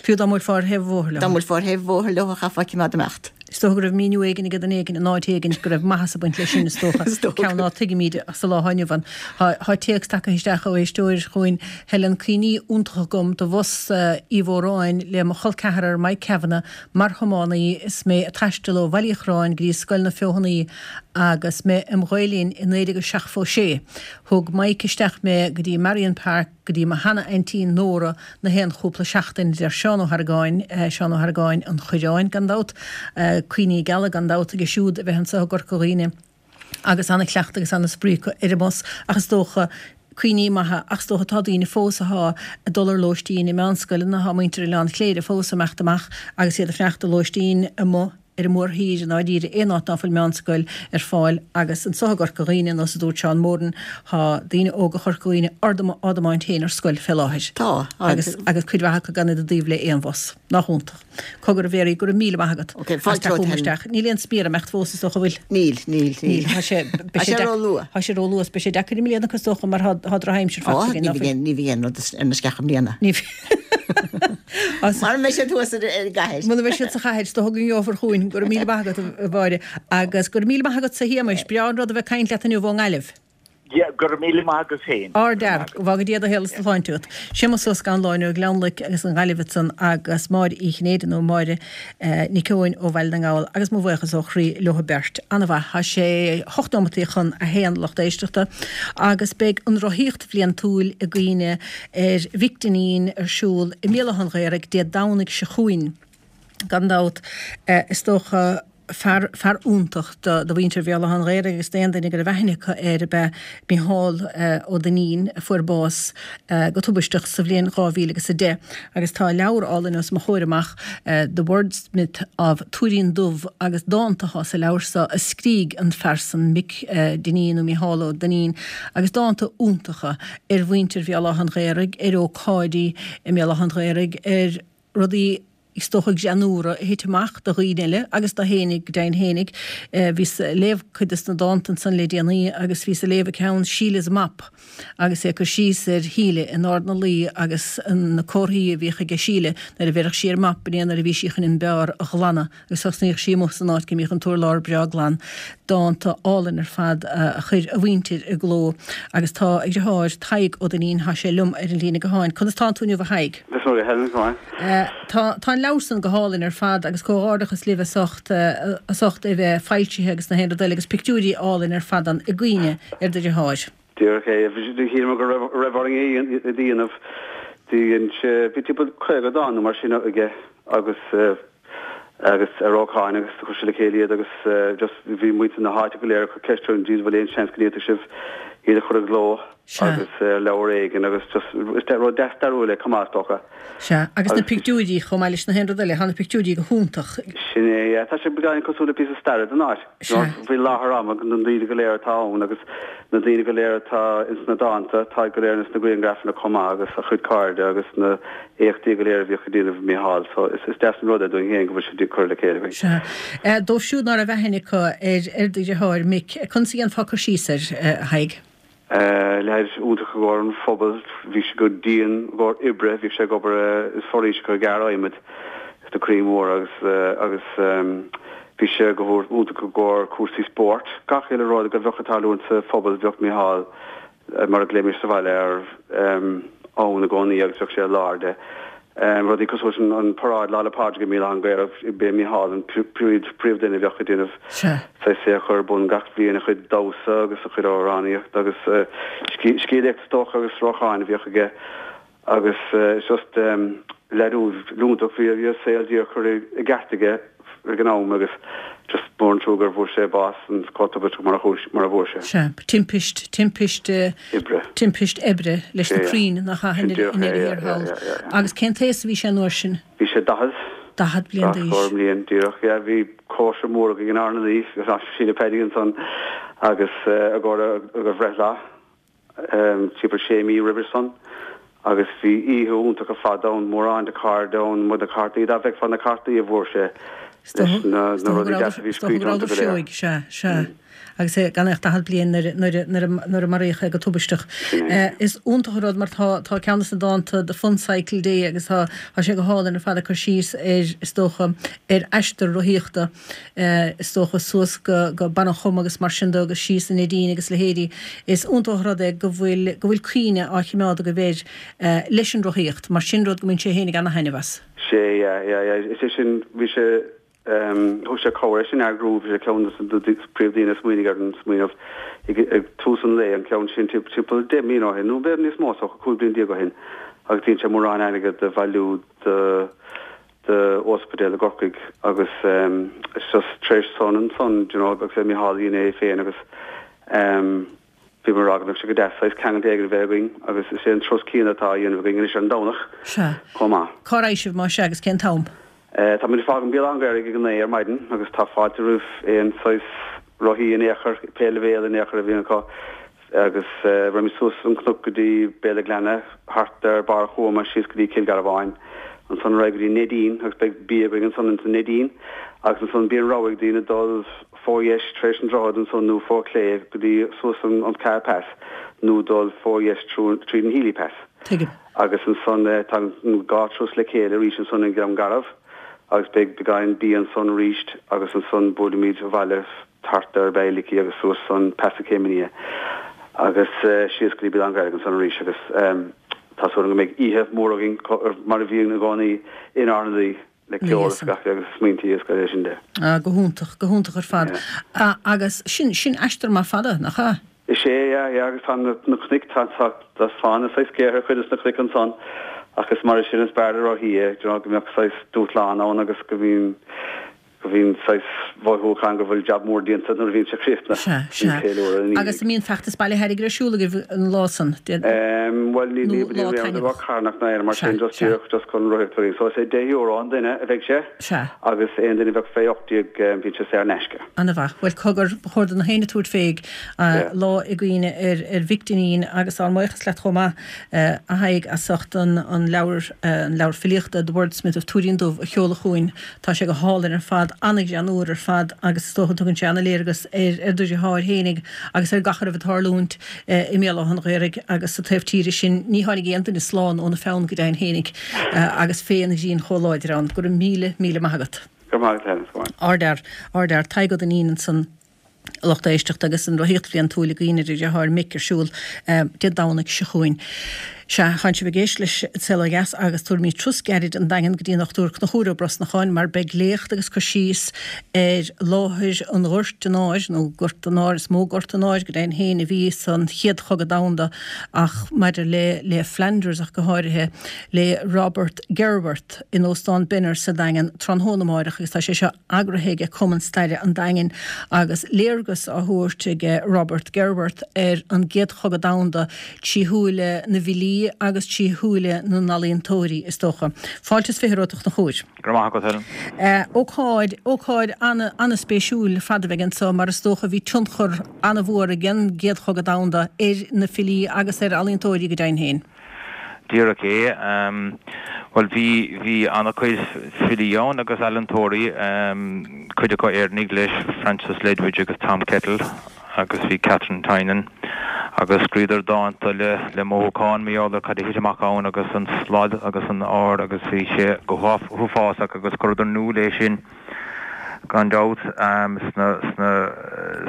Fiú dá mbuailfeá ar thaobh an bhóthair leo. Dá mbuailfeá ar thaobh an bhóthair leo, chaithfeá cimeád imeacht. Is dócha go raibh míniú éigin ag duine éigin in áit éigin go raibh maitheas ag baint leis sin, is dócha. Is dócha. Ceann ná tuigimid sa lá atá inniu ann. Tá téacs tagtha isteach ó éisteoir chugainn, Helen, Cuimhní iontacha agam de bhus Uí Mhóráin le mo chol ceathrar Mike Kavanagh mar thiománaí is mé ag taisteal ó Bhaile Uí Chorráin go dtí Scoil na Feothanaí agus mé im Ghael-Linn i naoi déag a seachtó sé. Thug Mike isteach mé go dtí Marion Park go dtí mo sheana-aintín Nóra na haon chúpla seachtain, a deir Seán Ó hArgáin, Seán Ó Hargáin an Choireáin, gan dabht, cuimhní geala gan dabht aige siúd a bheith anseo i gCorca Dhuibhne agus ana-chleachtadh agus ana-spraoi acu ar an mbus ach is dócha cuimhní maithe ach is dócha tá daoine fós athá ag dul ar lóistín i meánscoileanna, tá muintir Oileán Chléire fós ag imeacht amach agus iad ag fanacht ar lóistín amuigh. ar an mórthír i ndáiríre, aon áit ná fuil meánscoil ar fáil agus anso i gCorca Dhuibhne, nós a dúirt Seán Moran, tá daoine óga Chorca Dhuibhne á dtiomáint féin ar scoil fé láthair. Tá. Agus agus cuid mhaith acu gan iad i dtaobh le aon bhus. Nach iontach. Cogar a Mhéaraí, go raibh míle maith agat. Ok, fáilte romhat romhat isteach. Níl aon smior ag imeacht fós is dócha, an bhfuil? Níl, níl, níl. Níl. Tá sé, Tá sé ró-luath. Tá sé ró-luath, beidh sé deacair i mbliana is dócha mar tá drochaimsir Ó, faighte againn, ní ná fuil? bhíonn, ní bhíonn rud ar na sceacha i mbliana. Ní bhíonn. Mara mbeidh siad thuas ar an gcathair. Muna mbeidh siad sa chathair, is dócha go ngeofar chugainn. Go raibh míle maith agat, a Mháire. Agus go raibh míle maith agatsa, a Shéamais. Breá an rud a bheith ag caint leat inniu ón nGaillimh. Yeah, go raibh míle maith agat féin. Ardfhear. Go bhfága Dia do shaol is do shláinte agat. Séamus Ó Scanláin ó Ghleann Loic agus an Ghaillimh ansan agus Máire Uí Chinnéide nó Máire Nic Eoin ó Bhaile na nGall agus mo bhuíochas ó chroí leo beirt. An-mhaith. Tá sé hocht nóimeataí chun a haon lucht éisteachta agus beidh an rothaíocht bhliantúil i gcuimhne ar Mhick Dineen ar siúl i mBéal Átha an Ghaorthaidh Dé Domhnaigh seo chugainn. Gan dabht, is dócha, fear, fear iontach do, do mhuintir Bhéal Átha an Ghaorthaidh agus d'aon duine go raibh aithne acu air ab ea Micheál Ó Duinnín a fuair bás go tubaisteach sa bhliain dhá mhíle agus a deich agus tá leabhar álainn os mo chomhair amach The Wordsmith of Tuairín Dubh agus dánta atá sa leabhar seo a scrígh an fear san Mick Dineen nó Micheál Ó Duinnín agus dánta iontacha ar mhuintir Bhéal Átha an Ghaorthaidh, ar ócáidí i mBéal Átha an Ghaorthaidh, ar rudaí is dócha greannúra a thit amach do dhaoine eile agus do fhéinig, go deimhin fhéinig. Bhíos ag léamh cuid des na dánta ansan le déanaí agus bhíos ag léamh an ceann Sheila's Mop agus é ag cur síos ar Shíle in Ard na Laoi agus na comharthaí a bhíodh aige Síle nuair a bheireadh sí ar mop b'in é nuair a bhí sí chun an beár a ghlanadh agus thosnaíodh sí amuigh san áit go mbíodh an t-urlár breá glan. Dánta álainn ar fad a chuir a mhuintir i gcló agus tá a dheartháir Tadhg Ó Duinnín, tá sé liom ar an líne gutháin. Conas tánn tú inniu a Thaidhg? Is maith Helen, go maith. Tá tá an leabhar san go hálainn ar fad agus comhghairdeachas libh as ucht as ucht é bheith foilsithe agus na haon rud eile agus pictiúirí álainn ar fad ann i gcuimhne ar do dheartháir. Díreach é. Shíl mé go raibh raibh orainn é a dhéanamh. Dhein sé bhí timpeall caoga dán nó mar sin aige agus agus ar ócáid agus chuir sé le chéile iad agus just bhí muintir na háite go léir ag cur ceist orainn an bhfuil aon seans go ndéanfadh sibh iad a chur i gcló agus ar leabhar éigin agus just is rud deas stairiúil é chomh maith is dócha. Sea, agus na pictiúirí chomh maith leis na haon rud eile, tá na pictiúirí go hiontach. Sin é, yeah. Tá sé beagáinín cosúil le píosa staire den áit. Sea. Faoi láthair ama na daoine go léir atá ann agus na daoine go léir atá ins na dánta, táid go léir ins na grianghrafanna chomh maith agus a chuid cairde agus na éachtaí go léir a bhíodh ag déanamh Micheál. So is is deas an rud é dúinn féin go bhfuil sé curtha le chéile againn. Sea. Dóibh siúd ná raibh aithne acu ar ar do dheartháir Mick, conas a dhéanfá cur síos air, a Thaidhg? Leaid iontach i gcomhair an phobail, bhí sé go dian i gcomhair oibre, bhíodh sé ag obair i foraoiseacha ag gearradh adhmaid sna crainn mhóra agus agus bhí sé go iontach i gcomhair cúrsaí spóirt. Gach uile rud a bheadh ag tarlúint sa phobal bheadh Micheál, mar a ghlaoimis sa bhaile air, ann i gcónaí agus bheadh sé i lár de. Rudaí cosúil leis an paráid Lá 'le Pádraig i mBéal Átha an Ghaorthaidh, b'é Micheál an príomhdhuine a bheadh ag déanamh saghas é a chur ar bun gach bliain, a chuid damhsa agus a chuid amhránaíochta agus scéalaíocht is dócha agus sracáin a bhíodh aige agus just leaid iontach, bhí a saol díreach curtha i gceart aige ag an am agus just mór an trua gur bhfuair sé bás an chomh tubaisteach mar a chuaigh, mar a bhfuair sé. Sea, timpist, timpist, Oibre. timpist oibre leis na Sea, crainn nach ea, sin díreach i é, ndeireadh yeah, thiar yeah, thall. yeah, yeah, yeah. Agus cén t-aos a bhí sé an uair sin? Bhí sé daichead. Daichead bliain Daichead d'aois. scór bliain, díreach, yeah. Bhí cóisir mhór againn in Ard na Laoi, Síle Peaidí ansan agus i gcomhair a bhreithlá. timpeall sé mí roimhe san agus bhí oíche iontach ar fad ann, mórán de chairde ann, na cártaí, dá bhfeicfeá na cártaí a bhfuair sé leis na rudaí deasa a bhí scríte iontu go léir. Sea, sea. Agus é gan ach daichead bliain nuair a maraíodh é go tubaisteach. Is iontach an rud mar tá tá ceann de na dánta The Fun Cycle Day agus tá tá sé go hálainn ar fad ag cur síos ar, is dócha, ar aistear rothaíochta. is dócha, suas go Barr an Choma agus mar sin de agus síos an Neidín agus leithéidí. Is iontach an rud é go bhfuil, go bhfuil cuimhne á chimeád agaibh air leis an rothaíocht, mar sin rud go mbíonn sé fhéinig ana-thaitneamh as. Sea, yeah, yeah, yeah, is é sin, bhí sé, thug sé cabhair é sin a eagrú, bhí sé ceann de na príomhdhaoine a smaoinigh ar an smaoineamh ag tús an lae, an ceann sin timpeall deich mbliana ó shin, nó b'fhéidir níos mó, is dócha, cúig bliana déag ó shin, agus dhein sé mórán airgead a bhailiú do, do ospidéal i gCorcaigh agus it's just tar éis san ansan do you know agus é Micheál a dhein é féin agus bhí mé ag rá go mbeadh sé go deas saghas ceangal éigin a bheith againn agus is é an turas céanna atá á dhéanamh againn anois ar an Domhnach Sea. chomh maith. Cá raghaidh sibh más ea agus cén t-am? Táimid ag fágaint Béal Átha an Ghaorthaidh ag a naoi ar maidin agus tá fáilte roimh aon saghas rothaí in aon chor, pé leibhéal in aon chor a bhíonn acu agus raghaimid suas an cnoc go dtí Béal an Ghleanna, thart ar Barr Thuama síos go dtí Cill Garbháin, ansan ar aghaidh go dtí Neidín agus beidh bia againn ansan ins an Neidín agus ansan bíonn rogha ag daoine dul fó dheis tar éis an droichead ansan nó fó chlé go dtí suas an an Caher Pass nó dul fó dheis tríd an Healy Pass. Tuigim. Agus ansan tagann an dhá turas le chéile arís ansan i nGleann Garbh agus beidh beagáinín bia ansan arís agus ansan buailimid abhaile thart ar Bailickey agus suas an Pas na Céimeanna agus síos go dtí Béal Átha an Ghaorthaidh ansan arís agus tá súil agam go mbeidh oíche mhór againn mar a bhíonn i gcónaí in Ard na Laoi le ceol agus gach agus smaointí agus gach sin de. Ah, go hiontach, go hiontach ar fad. Agus sin, sin aistear maith fada, nach ea? Is ea, yeah, yeah, agus tá na cnoic, tá, tá, tá fána saghas géar ar chuid de na cnoic ansan ach is mar sin is fearr le rothaí é, do you know, go mbeadh saghas dúshlán ann agus go mbíonn, go mbíonn saghas mhothúchán go bhfuil jab mór déanta nuair a bhíonn sé críochnaithe. Sea, sea. Ceiliúradh ina Agus an mbíonn feachtas bailithe airgid ar siúl agaibh an lá san? Em, bhuel, ní, ní, Nó lá ní, ní, taitneamhach. carthanach ná aon mar Sea, sin, just sea. díreach just chun rothaíocht a So is é deich euro an duine a bheidh sé. Sea. Agus aon duine a bheadh fé ocht déag, bíonn sé saor in aisce. Ana-mhaith. Bhuel, cogar, ba chóir do na héinne tabhairt fé lá i gcuimhne ar ar Mhick Dinneen agus ár mbuíochas leat chomh maith, a Thaidhg, as ucht an an leabhar, an leabhar filíochta The Wordsmith of Tuairín Dubh a sheoladh chugainn. Tá sé go hálainn ar fad, ana-ghreannmhar ar fad agus is dócha tugann sé ana-léargas ar ar do dheartháir fhéinig agus ar gach a raibh ag tarlúint i mBéal Átha an Ghaorthaidh agus sa taobh tíre sin. Ní tháinig aon duine slán óna pheann go deimhin fhéinig agus féith an ghrinn chomh láidir ann. Go raibh míle, míle maith agat. Go raibh maith agat, Helen. Go maith. Ardfhear, ardfhear. Tadhg Ó Duinnín ansan, a lucht éisteachta, agus an rothaíocht bhliantúil i gcuimhne ar a dheartháir Mick ar siúl Dé Domhnaigh seo chugainn. Sea, tánn sibh ag éisteacht leis An Saol Ó Dheas agus tabharfaimid turas gairid an Daingean go dtí an Dochtúir Conchúr Ó Brosnacháin mar beidh léacht agus cur síos ar láthair an Ghoirt an Áir, nó Gort an Áir, is mó Gort an Áir go deimhin féin a bhí san Chéad Chogadh Domhanda ach maidir le le Flanders ach go háirithe, le Robert Gerwarth in Óstán Benners sa Daingean tráthnóna amáireach agus tá sé seo eagraithe aige Cumann Staire an Daingin agus léargas á thabhairt aige Robert Gerwarth ar an gCéad Chogadh Domhanda trí shúile na bhfilí agus trí shúile na n-ealaíontóirí, is dócha. Fáilte is fiche romhat a Chonchúir. Go raibh maith agat, Helen. Ócáid, ócáid an-spéisiúil ar fad a bheidh anseo mar is dócha bhí tionchar an-mhór ag an gCéad Chogadh Domhanda ar na filí agus ar ealaíontóirí go deimhin féin. Díreach é. Bhuel, bhí, bhí an-chuid filí ann agus ealaíontóirí, cuid acu Éireannaigh leis, Francis Ledwidge agus Tom Kettle agus bhí Katharine Tynan agus scríodar dánta le, le mothúchán mar gheall ar cad a thit amach ann agus an slad agus an ár agus bhí sé go huafásach agus chuireadar in iúl é sin. gan dabht, sna, sna,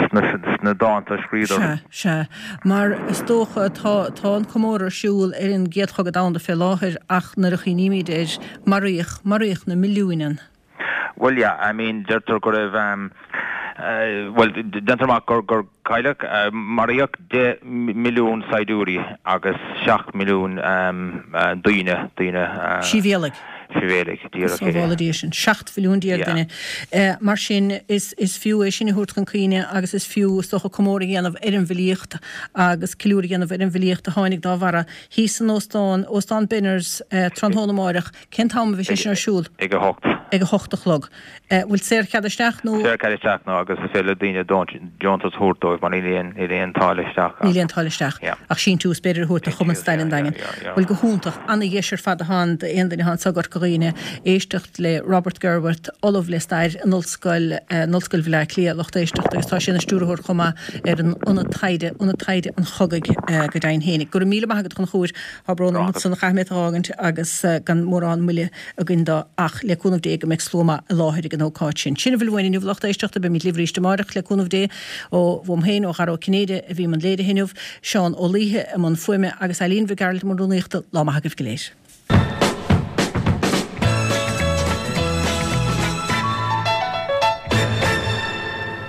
sna, sna dánta a scríodar. Sea, sea. Mar is dócha, tá, tá an comóradh ar siúl ar an gCéad Chogadh Domhanda fé láthair ach nuair a chuimhnímid air, maraíodh, maraíodh na milliúin ann. Bhuel, yeah, I mean, deirtear go raibh, bhuel, déantar amach gur, gur cailleadh, maraíodh deich milliún saighdiúirí agus seacht milliún daoine, daoine. Sibhialaigh. Sibhialaigh, díreach é. Sábhála Dia sinn. Seacht mhilliún déag duine. Mar sin, is is fiú é sin a thabhairt chun cuimhne agus is fiú, is dócha, comóradh a dhéanamh ar an bhfilíocht agus ceiliúradh a dhéanamh ar an bhfilíocht a tháinig dá bharra thíos san óstán, Óstán Benners, tráthnóna amáireach. Cén t-am a bheidh sé sin ar siúl? Ag a hocht. Ag a hocht a chlog. Bhfuil saorchead isteach nó? Saorchead isteach nó agus is féidir le daoine deontas a thabhairt dóibh mar níl aon níl aon táille isteach. Níl aon táille isteach. Ach síntiús b'fhéidir a thabhairt do Chumann Staire an Daingin. Bhuel go hiontach, ana-dheis ar fad atá ann d'aon duine atá anso i gCorca Dhuibhne éisteacht le Robert Gerwarth, Ollamh le Stair in Ollscoil in Ollscoil Bhaile Átha Cliath, lucht éisteachta agus tá sé ina stiúrthóir chomh maith ar an Ionad Taighde, Ionad Taighde an Chogaidh go deimhin féinig. Go raibh míle maith agat a Chonchúir. Tá brón orm ansan chaith mé tú a fhágaint agus gan mórán moille againn dó ach le cúnamh Dé go mbeidh slua maith i láthair ag an ócáid sin. Sin a bhfuil uainn inniu a lucht éisteachta, beimid libh arís amárach le cúnamh Dé. Ó uaim féin, ó Dhara Ó Cinnéide a bhí i mbun léirithe inniu, Seán Ó Laoithe i mbun fuaime agus Eileen Mhic Gearailt i mbun rúnaíochta. Lá maith agaibh go léir.